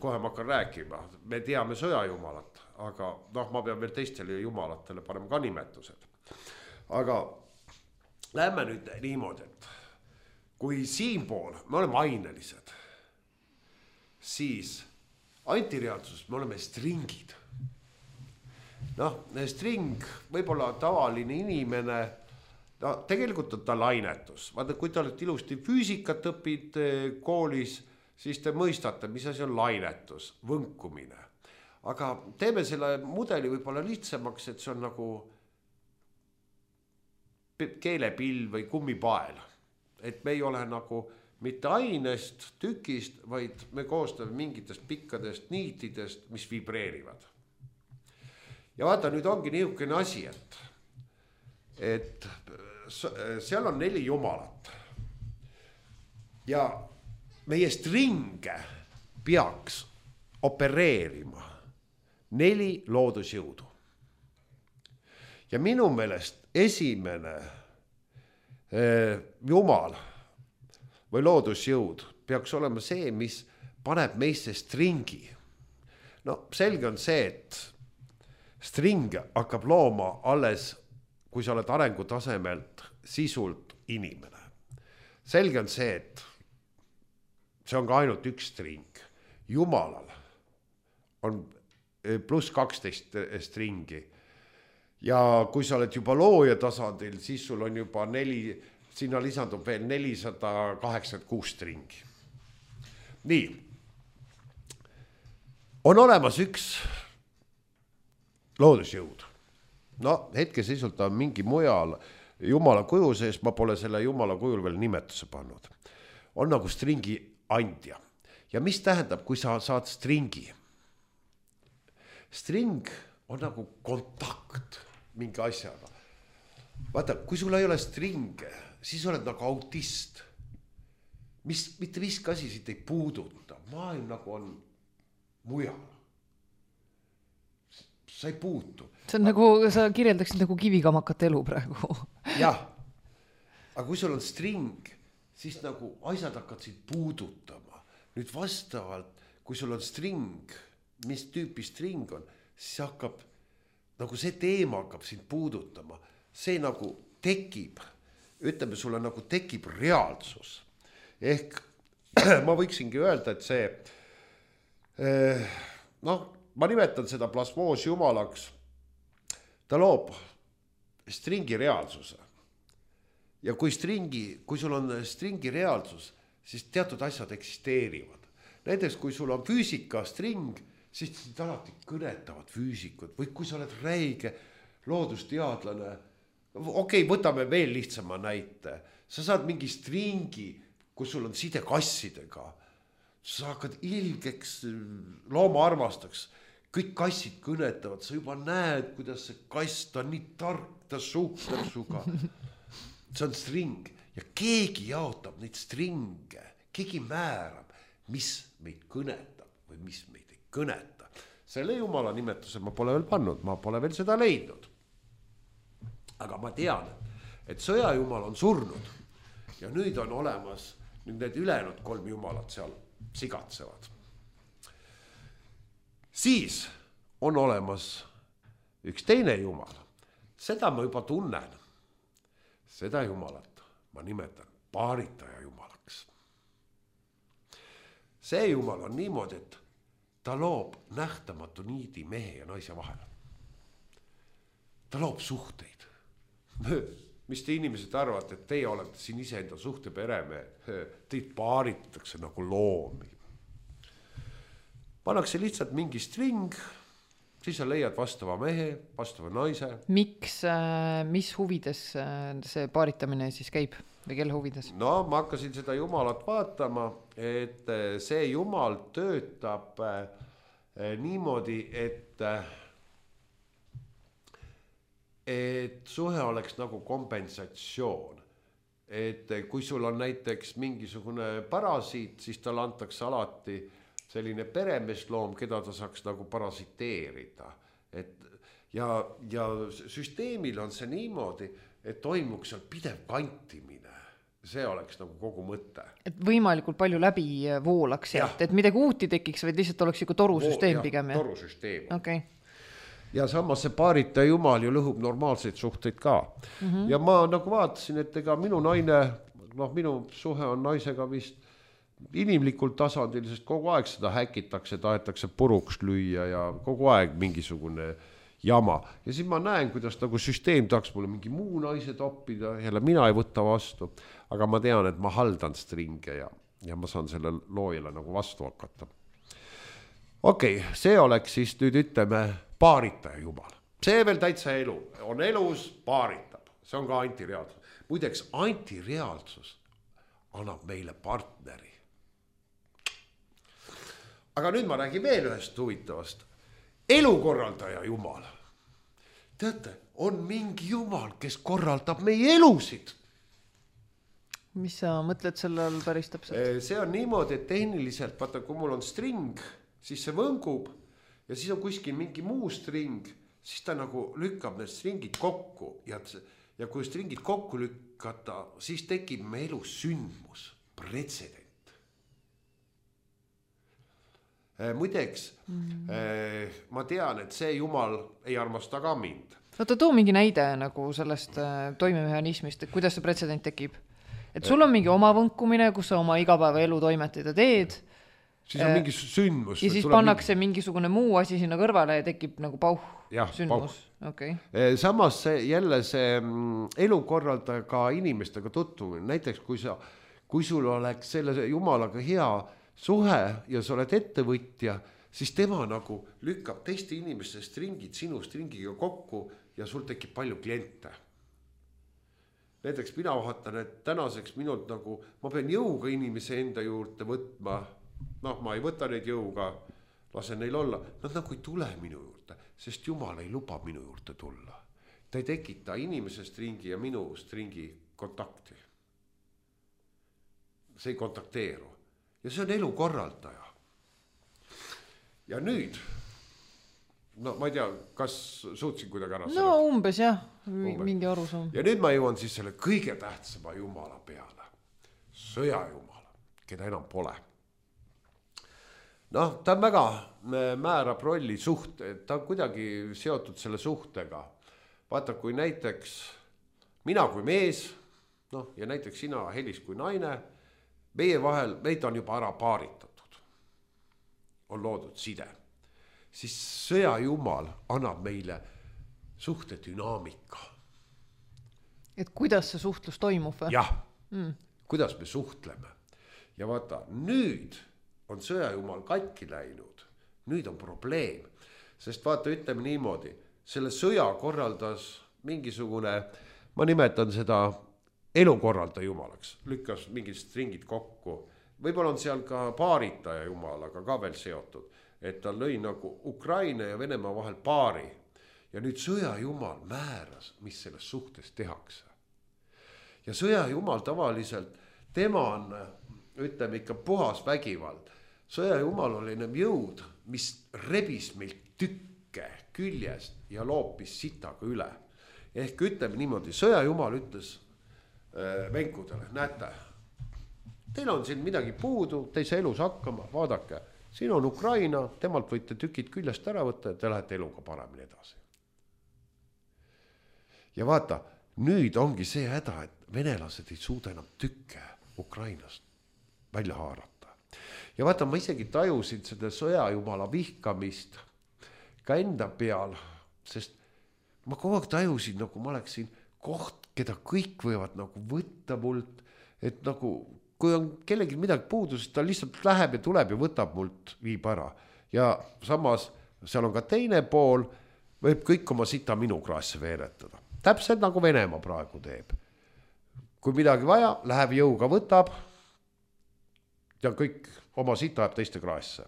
Kohe ma hakkan rääkima. Me teame sõjajumalat, aga ma pean veel teistele jumalatele panema ka nimetused. Aga lähme nüüd niimoodi, et kui siinpool me oleme ainelised, siis antireaalsuses me oleme stringid. String, võib-olla tavaline inimene, tegelikult on ta lainetus. Vaata, kui te olete ilusti füüsikat õpid koolis, siis te mõistate, mis asi on lainetus, võnkumine. Aga teeme selle mudeli võib-olla lihtsamaks, et see on nagu keelepill või kummipael. Et me ei ole nagu mitte ainest, tükist, vaid me koostame mingitest pikkadest niitidest, mis vibreerivad. Ja vaata, nüüd ongi niisugune asi, et seal on 4 jumalat ja meie stringe peaks opereerima 4 loodusjõudu. Ja minu meelest esimene jumal või loodusjõud peaks olema see, mis paneb meisse stringi. Selge on see, et string hakkab looma alles, kui sa oled arengutasemelt sisult inimene. Selge on see, et see on ka ainult üks string. Jumalal on pluss 12 stringi. Ja kui sa oled juba looja tasandil, siis sul on juba 4, sinna lisandub veel 486 stringi. Nii. On olemas üks loodusjõud. Hetkeseisult on mingi mujal jumala kuju sees, ma pole selle jumala kujul veel nimetuse pannud. On nagu stringi andja. Ja mis tähendab, kui sa saad stringi? String on nagu kontakt mingi asjaga. Vaata, kui sul ei ole stringe, siis oled nagu autist. Mitte miski asi siit ei puuduta. Maailm nagu on mujal. Sa ei puutu. See on nagu, sa kirjeldaksid nagu kivikamakat elu praegu. Jah. aga kui sul on string, siis nagu asjad hakkad sind puudutama. Nüüd vastavalt, kui sul on string, mis tüüpi string on, siis hakkab, nagu see teema hakkab sind puudutama. See nagu tekib, ütleme sulle nagu tekib reaalsus. Ehk ma võiksingi öelda, et see, ma nimetan seda plasmoos jumalaks, ta loob stringi reaalsuse. Ja kui sul on stringi reaalsus, siis teatud asjad eksisteerivad. Näiteks kui sul on füüsika string, siis sind alati kõnetavad füüsikud. Või kui sa oled räige loodusteadlane, okei, võtame veel lihtsama näite. Sa saad mingi stringi, kus sul on side kassidega. Sa hakkad ilgeks, looma armastaks. Kõik kassid kõnetavad, sa juba näed, kuidas see kass, ta on nii tark, ta suhtleb suga. See on string ja keegi jaotab neid stringe, keegi määrab, mis meid kõnetab või mis meid ei kõneta. Selle jumala nimetuse ma pole veel pannud, ma pole veel seda leidnud. Aga ma tean, et sõjajumal on surnud ja nüüd on olemas, nüüd need ülejäänud 3 jumalat seal sigatsevad. Siis on olemas üks teine jumal. Seda ma juba tunnen. Seda jumalat ma nimetan paaritaja jumalaks. See jumal on niimoodi, et ta loob nähtamatu niidi mehe ja naise vahel. Ta loob suhteid. Mis te inimesed arvate, et teie olete siin iseenda suhte peremehed, teid paaritatakse nagu loomi. Pannakse lihtsalt mingi string, siis sa leiad vastava mehe, vastava naise. Miks, mis huvides see paaritamine siis käib või kelle huvides? No ma hakkasin seda jumalat vaatama, et see jumal töötab niimoodi, et suhe oleks nagu kompensatsioon. Et kui sul on näiteks mingisugune parasiit, siis tal antakse alati selline peremesloom, keda ta saaks nagu parasiteerida. Ja süsteemil on see niimoodi, et toimuks seal pidev kantimine. See oleks nagu kogu mõte. Et võimalikult palju läbi voolaks, et midagi uuti tekiks, vaid lihtsalt oleks nagu torusüsteem pigem. Torusüsteem. Okay. Ja samas see paarita jumal ju lõhub normaalseid suhteid ka. Ja ma nagu vaatasin, et ega minu naine, minu suhe on naisega vist inimlikul tasandil, sest kogu aeg seda häkitakse, tahetakse puruks lüüa ja kogu aeg mingisugune jama. Ja siis ma näen, kuidas nagu süsteem tahaks mulle mingi muu naise toppida, jälle mina ei võta vastu, aga ma tean, et ma haldan stringe ja ma saan selle loojale nagu vastu hakata. Okei, see oleks siis nüüd ütleme paaritaja jumal. See veel täitsa elu, on elus, paaritab, see on ka antireaalsus. Muideks, antireaalsus annab meile partneri. Aga nüüd ma räägin veel ühest huvitavast. Elukorraldaja jumal. Teate, on mingi jumal, kes korraldab meie elusid. Mis sa mõtled selle all päris täpselt? See on niimoodi, et tehniliselt, vaata, kui mul on string, siis see võngub ja siis on kuskil mingi muu string, siis ta nagu lükkab need stringid kokku ja kui stringid kokku lükkata, siis tekib me elus sündmus, pretsedent. Muideks, ma tean, et see jumal ei armasta ka mind. Oota, too mingi näide nagu sellest toimemehhanismist, et kuidas see pretsedent tekib. Et sul on mingi oma võnkumine, kus sa oma igapäeva elu toimetada teed. Siis on mingi sündmus. Ja siis pannakse mingisugune muu asi sinna kõrvale ja tekib nagu sündmus. Okay. Samas jälle see elukorraldaja ka inimestega tutvumine. Näiteks, kui sul oleks selle jumalaga hea suhe ja sa oled ettevõtja, siis tema nagu lükkab teiste inimeste stringid sinu stringiga kokku ja sul tekib palju kliente. Näiteks mina vaatan, et tänaseks minult nagu, ma pean jõuga inimese enda juurde võtma, ma ei võta neid jõuga, lasen neil olla, nad nagu ei tule minu juurde, sest Jumal ei luba minu juurde tulla. Ta ei tekita inimese stringi ja minu stringi kontakti. See ei kontakteeru. Ja see on elukorraldaja. Ja nüüd no ma ei tea, kas suutsin kuidagi ära no umbes jah, mingi arusaam. Ja nüüd ma jõuan siis selle kõige tähtsama jumala peale, sõjajumala, keda enam pole. Noh, ta on väga määrab rolli ta on kuidagi seotud selle suhtega. Vaata, kui näiteks mina kui mees, noh, ja näiteks sina, Helis, kui naine, meie vahel, meid on juba ära paaritatud, on loodud side, siis sõjajumal annab meile suhte dünaamika. Et kuidas see suhtlus toimub või? Jah, kuidas me suhtleme. Ja vaata, nüüd on sõjajumal katki läinud, nüüd on probleem, sest vaata, ütleme niimoodi, selle sõja korraldas mingisugune, ma nimetan seda elukorralda jumalaks, lükkas mingid stringid kokku. Võib-olla on seal ka paaritaja jumalaga ka veel seotud, et ta lõi nagu Ukraina ja Venemaa vahel paari. Ja nüüd sõjajumal määras, mis selles suhtes tehakse. Ja sõjajumal tavaliselt, tema on, ütleme ikka puhas vägivald. Sõjajumal oli jõud, mis rebis meilt tükke küljest ja loopis sitaga üle. Ehk ütleme niimoodi, sõjajumal ütles venkudele, näete, teil on siin midagi puudu, te ei saa elus hakkama, vaadake, siin on Ukraina, temalt võite tükid küljest ära võtta ja te lähete eluga paremini edasi. Ja vaata, nüüd ongi see häda, et venelased ei suuda enam tükke Ukrainast välja haarata. Ja vaata, ma isegi tajusin seda sõjajumala vihkamist ka enda peal, sest ma kogu aeg tajusin, nagu ma oleksin koht, keda kõik võivad nagu võtta mult, et nagu kui on kellelgi midagi puudu, siis ta lihtsalt läheb ja tuleb ja võtab mult, viib ära. Ja samas seal on ka teine pool, võib kõik oma sita minu kraasse veeretada. Täpselt nagu Venemaa praegu teeb. Kui midagi vaja, läheb jõuga võtab ja kõik oma sita jääb teiste kraasse.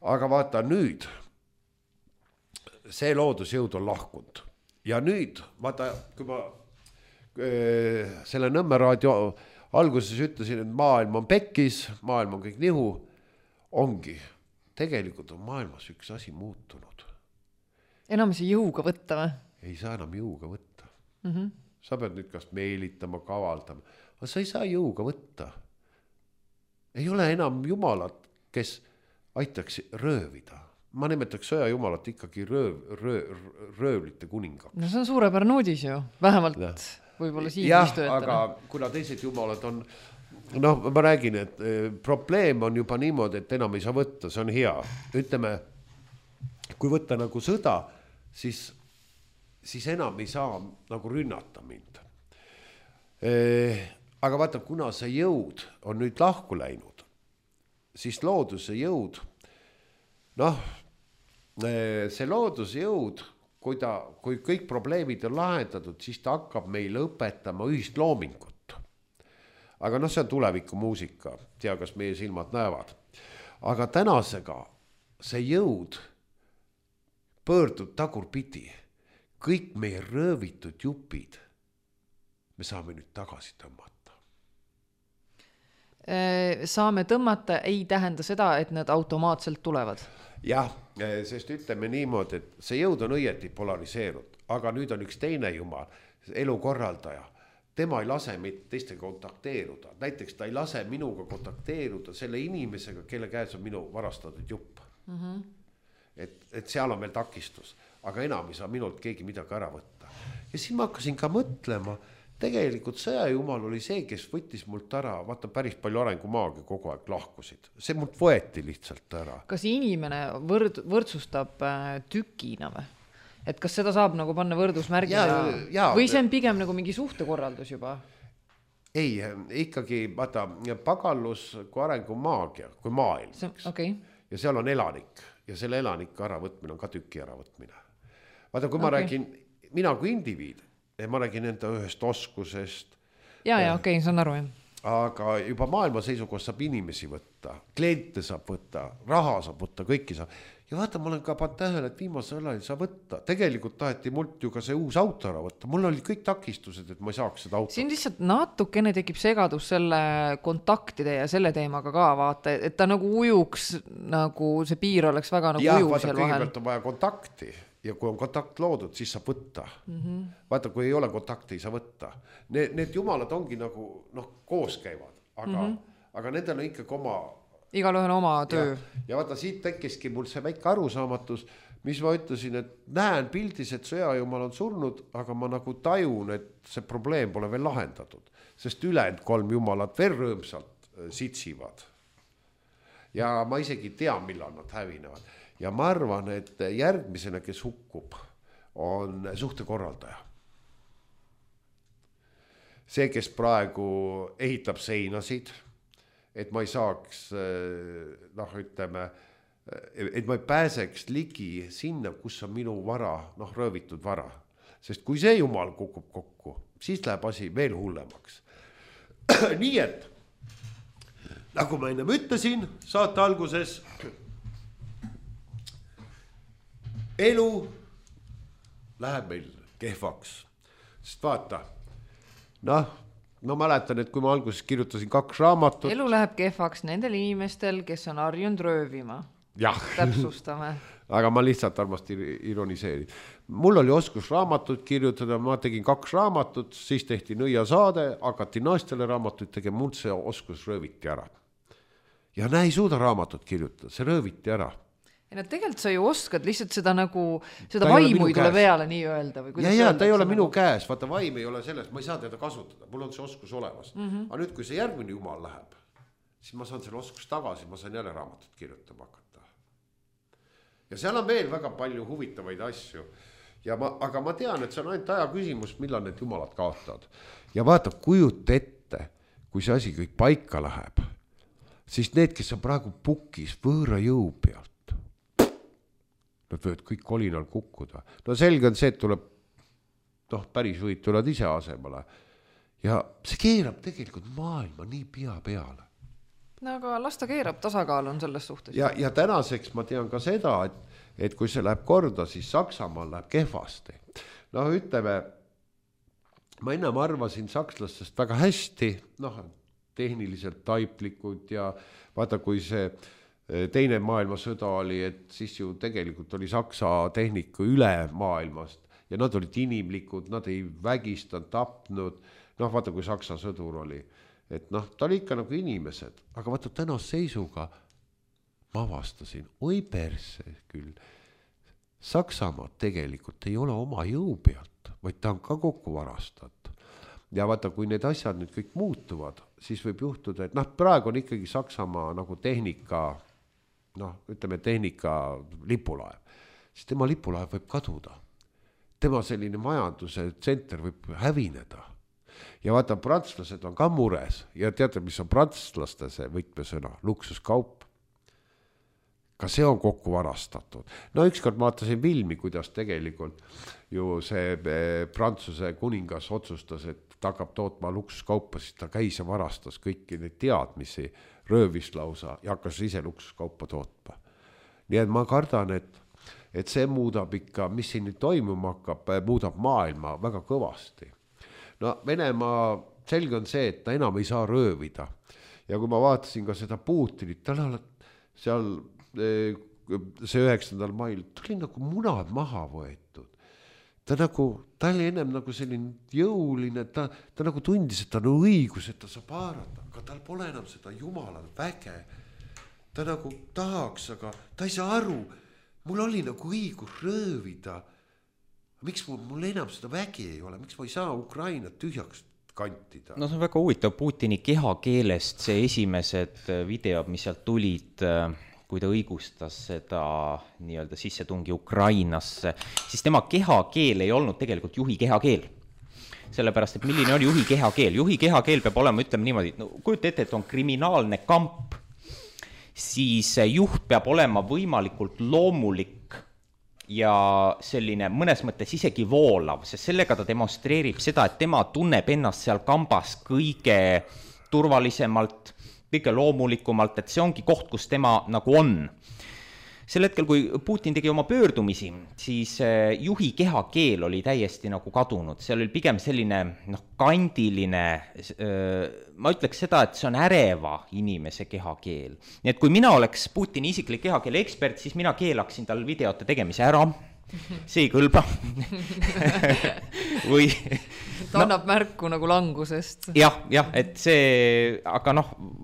Aga vaata nüüd, see loodusjõud on lahkunud. Ja nüüd, vaata, kui ma selle Nõmme raadio alguses ütlesin, et maailm on pekkis, maailm on kõik nihu, ongi. Tegelikult on maailmas üks asi muutunud. Enam see jõuga võtta või? Ei saa enam jõuga võtta. Sa pead nüüd kas meelitama, kavaldama, aga sa ei saa jõuga võtta. Ei ole enam jumalat, kes aitaks röövida. Ma nimetaks sõjajumalat ikkagi röövlite kuningaks. No see on suurepärane uudis ju, vähemalt võib-olla siin istujatena. Aga kuna teised jumalad on, noh, ma räägin, et probleem on juba niimoodi, et enam ei saa võtta, see on hea. Ütleme, kui võtta nagu sõda, siis enam ei saa nagu rünnata mind. Aga vaata, kuna see jõud on nüüd lahku läinud, siis looduse jõud, noh, see looduse jõud, kui kõik probleemid on lahendatud, siis ta hakkab meile õpetama ühist loomingut. Aga noh, see on tuleviku muusika, tea, kas meie silmad näevad. Aga tänasega see jõud pöördub tagurpidi. Kõik meie röövitud jupid me saame nüüd tagasi tõmmata. Saame tõmmata ei tähenda seda, et need automaatselt tulevad. Jah, sest ütleme niimoodi, et see jõud on õieti polariseerud, aga nüüd on üks teine jumal, elukorraldaja. Tema ei lase meid teistega kontakteeruda. Näiteks ta ei lase minuga kontakteeruda selle inimesega, kelle käes on minu varastatud jupp. Et seal on veel takistus, aga enam ei saa minult keegi midagi ära võtta. Ja siis ma hakkasin ka mõtlema, tegelikult sõjajumal oli see, kes võttis mult ära, vaata päris palju arengumaagi kogu aeg lahkusid. See mult võeti lihtsalt ära. Kas inimene võrdsustab tükina või? Et kas seda saab nagu panna võrdusmärgina või see on pigem nagu mingi suhtekorraldus juba? Ei, ikkagi vaata pagallus kui arengumaagia, kui maailm. Okay. Ja seal on elanik ja selle elaniku äravõtmine on ka tüki äravõtmine. Vaata, kui ma räägin, mina kui indiviid, ma räägin enda ühest oskusest. Okei, saan aru. Aga juba maailma seisukohast saab inimesi võtta, kliente saab võtta, raha saab võtta, kõiki saab. ja vaata, ma olen ka pannud tähele, et viimasel ajal ei saa võtta. Tegelikult taheti mult ju ka see uus auto ära võtta. Mul oli kõik takistused, et ma ei saaks seda autot. Siin lihtsalt natukene tekib segadus selle kontaktide ja selle teemaga ka, vaata, et ta nagu ujuks, nagu see piir oleks väga nagu ujuv vaata, seal vahel. Kõigepealt on vaja kontakti ja kui on kontakt loodud, siis saab võtta. Vaata, kui ei ole kontakti, ei saa võtta. Need jumalad ongi nagu, koos käivad, aga nendel on ikkagi oma... Igal ühel oma töö. Ja vaata, siit tekkiski mul see väike arusaamatus, mis ma ütlesin, et näen pildis, et sõjajumal on surnud, aga ma nagu tajun, et see probleem pole veel lahendatud, sest ülejäänud 3 jumalat veel rõõmsalt sitsivad. Ja ma isegi tean, millal nad hävinevad. Ja ma arvan, et järgmisena, kes hukkub, on suhtekorraldaja. See, kes praegu ehitab seinasid, et ma ei saaks, ütleme, et ma ei pääseks ligi sinna, kus on minu vara, röövitud vara. Sest kui see jumal kukub kokku, siis läheb asi veel hullemaks. Nii et, nagu ma ennem ütlesin saate alguses, elu läheb meil kehvaks. Sest vaata, ma mäletan, et kui ma alguses kirjutasin 2 raamatut. Elu läheb kehvaks nendel inimestel, kes on harjunud röövima. Täpsustame. Aga ma lihtsalt armasti ironiseerin. Mul oli oskus raamatut kirjutada, ma tegin 2 raamatut, siis tehti nõiasaade, hakati naistele raamatuid tegema, mul see oskus rööviti ära. Ja ei suuda raamatut kirjutada, see rööviti ära. Ja tegelikult sa ju oskad lihtsalt seda nagu, seda vaimu ei tule peale nii öelda. Või ja ta ei ole minu käes, vaata vaim ei ole selles, ma ei saa teda kasutada, mul on see oskus olemas. Aga nüüd, kui see järgmine jumal läheb, siis ma saan selle oskus tagasi, ma saan jälle raamatut kirjutama hakata. Ja seal on veel väga palju huvitavaid asju. Aga ma tean, et see on ainult aja küsimus, millal need jumalad kaotavad. Ja vaata, kujuta ette, kui see asi kõik paika läheb, siis need, kes on praegu pukis võõra jõu pealt, nad võivad kõik kolinal kukkuda. Selge on see, et tuleb, päris võid tulevad ise asemale. Ja see keerab tegelikult maailma nii pea peale. Aga las ta keerab, tasakaal on selles suhtes. Ja tänaseks ma tean ka seda, et kui see läheb korda, siis Saksamaal läheb kehvasti. Ütleme, ma ennem arvasin sakslastest väga hästi, tehniliselt taiplikud ja vaata, kui see teine maailmasõda oli, et siis ju tegelikult oli Saksa tehnika üle maailmast ja nad olid inimlikud, nad ei vägistanud, tapnud, vaata kui Saksa sõdur oli, et ta oli ikka nagu inimesed, aga vaata tänast seisuga ma avastasin, oi perse küll, Saksamaa tegelikult ei ole oma jõu pealt, vaid ta on ka kokku varastatud. Ja vaata, kui need asjad nüüd kõik muutuvad, siis võib juhtuda, et praegu on ikkagi Saksamaa nagu tehnika lipulaev, siis tema lipulaev võib kaduda. Tema selline majanduse tsenter võib hävineda. Ja vaata, prantslased on ka mures ja teate, mis on prantslaste see võtmesõna, luksuskaup. Ka see on kokku varastatud. Ükskord ma vaatasin filmi, kuidas tegelikult ju see Prantsuse kuningas otsustas, et ta hakkab tootma luksuskaupa, siis ta käis ja varastas kõiki neid teadmisi, röövis lausa ja hakkas ise luksuskaupa tootma. Nii et ma kardan, et see muudab ikka, mis siin nüüd toimuma hakkab, muudab maailma väga kõvasti. Venemaa selge on see, et ta enam ei saa röövida. Ja kui ma vaatasin ka seda Putinit, tal on seal see 9. mail, ta oli nagu munad maha võetud. Ta oli ennem nagu selline jõuline, ta nagu tundis, et ta on õigus, et ta saab haarata, aga tal pole enam seda jumalal väge. Ta nagu tahaks, aga ta ei saa aru, mul oli nagu õigus röövida. Miks mul enam seda vägi ei ole, miks ma ei saa Ukraina tühjaks kantida? See on väga huvitav Putini kehakeelest, see esimesed videod, mis sealt tulid, kui ta õigustas seda nii-öelda sissetungi Ukrainasse, siis tema kehakeel ei olnud tegelikult juhi kehakeel. Sellepärast, et milline oli juhi kehakeel? Juhi kehakeel peab olema, ütleme niimoodi, kujuta ette, et on kriminaalne kamp, siis juht peab olema võimalikult loomulik ja selline mõnes mõttes isegi voolav, sest sellega ta demonstreerib seda, et tema tunneb ennast seal kambas kõige turvalisemalt, kõige loomulikumalt, et see ongi koht, kus tema nagu on. sel hetkel, kui Putin tegi oma pöördumisi, siis juhi kehakeel oli täiesti nagu kadunud, seal oli pigem selline kandiline, ma ütleks seda, et see on äreva inimese kehakeel. Nii et kui mina oleks Putini isiklik kehakeele ekspert, siis mina keelaksin tal videote tegemise ära, see ei kõlba või ta annab märku nagu langusest. jah, et see, aga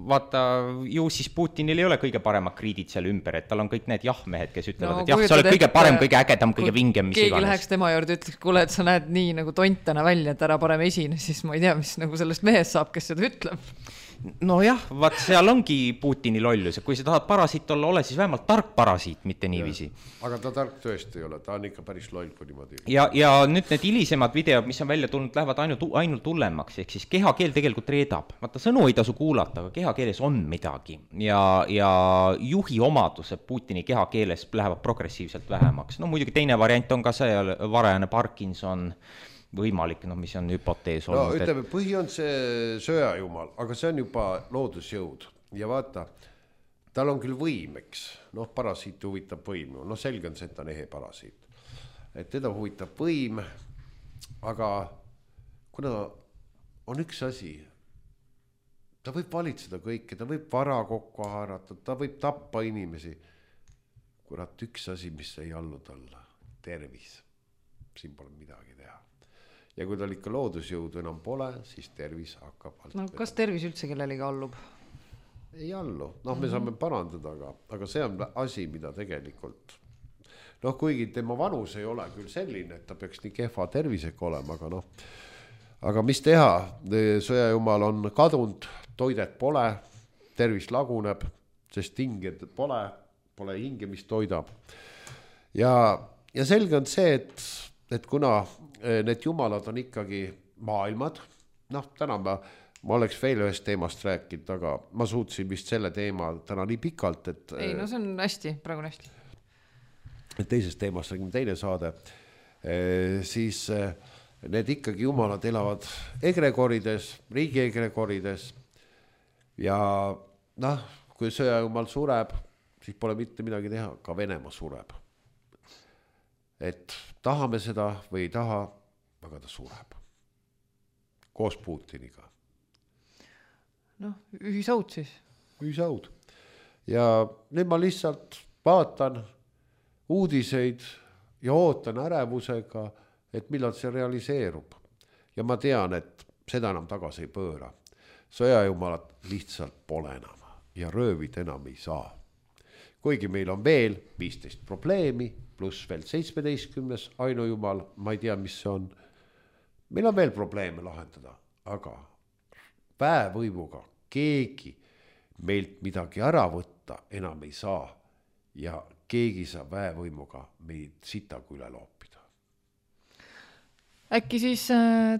vaata, ju siis Putinil ei ole kõige paremad kriidid seal ümber, et tal on kõik need jah-mehed, kes ütlevad, et jah, sa oled kõige parem, kõige ägedam, kõige vingem, mis keegi iganes. Läheks tema juurde, ütleks, kuule, et sa näed nii nagu tontana välja, et ära parem esine, siis ma ei tea, mis nagu sellest mehest saab, kes seda ütleb. Nojah, vaat seal ongi Putini lollus, kui sa tahad parasiit olla, ole siis vähemalt tark parasiit, mitte niiviisi. Aga ta tark tõesti ei ole, ta on ikka päris loll, kui niimoodi. Ja nüüd need hilisemad videod, mis on välja tulnud, lähevad ainult hullemaks, ehk siis kehakeel tegelikult reedab. Vaata, sõnu ei tasu kuulata, aga kehakeeles on midagi. Ja juhi omadused Putini kehakeeles lähevad progressiivselt vähemaks. Muidugi teine variant on ka see varajane Parkinson, võimalik, mis on hüpotees olnud. Ütleme, põhi on see sööjajumal, aga see on juba loodusjõud ja vaata, tal on küll võim, eks, parasiit huvitab võim, selge on see, et ta on ehe parasiit, et teda huvitab võim, aga kuna on üks asi, ta võib valitseda kõike, ta võib vara kokku haarata, ta võib tappa inimesi, kurat, üks asi, mis ei allu talle, tervis, siin pole midagi teha. Ja kui tal ikka loodusjõudu enam pole, siis tervis hakkab kas tervis üldse kellelegi allub? Ei allu, me saame parandada, aga see on asi, mida tegelikult kuigi tema vanus ei ole küll selline, et ta peaks nii kehva tervisega olema, aga mis teha, sõjajumal on kadunud, toidet pole, tervis laguneb, sest hinged pole hinge, mis toidab ja selge on see, et kuna need jumalad on ikkagi maailmad, täna ma oleks veel ühest teemast rääkinud, aga ma suutsin vist selle teema täna nii pikalt, et ei, see on hästi, praegu on hästi. Et teisest teemast räägime teine saade, siis need ikkagi jumalad elavad egregorides, riigi egregorides ja kui sõjajumal sureb, siis pole mitte midagi teha, ka Venemaa sureb. Et tahame seda või ei taha, aga ta sureb. Koos Putiniga. Ühisaud siis. Ühisaud. Ja nüüd ma lihtsalt vaatan uudiseid ja ootan ärevusega, et millal see realiseerub. Ja ma tean, et seda enam tagasi ei pööra. Sõjajumalad lihtsalt pole enam ja röövid enam ei saa. Kuigi meil on veel 15 probleemi, pluss veel 17. ainujumal, ma ei tea, mis see on. Meil on veel probleeme lahendada, aga väevõimuga keegi meilt midagi ära võtta enam ei saa ja keegi saab väevõimuga meid sitagu üle loopida. Äkki siis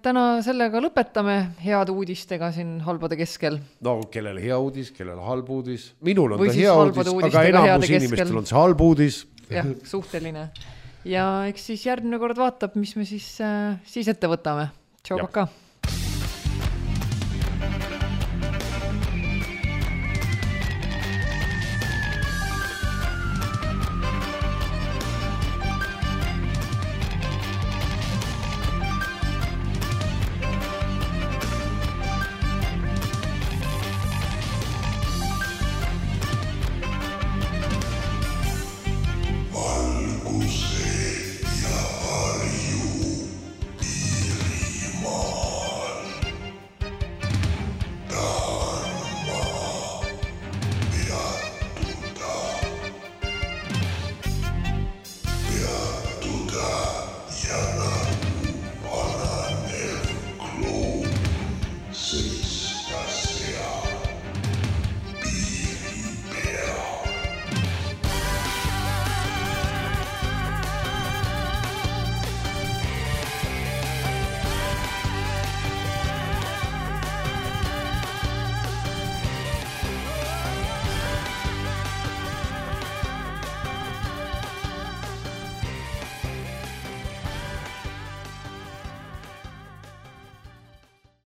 täna sellega lõpetame head uudistega siin halbade keskel. Kellel hea uudis, kellel halb uudis. Minul on ta hea uudis, aga enamus inimestel on see halb uudis. Jah, suhteline. Ja eks siis järgmine kord vaatab, mis me siis ette võtame. Tšau, paka!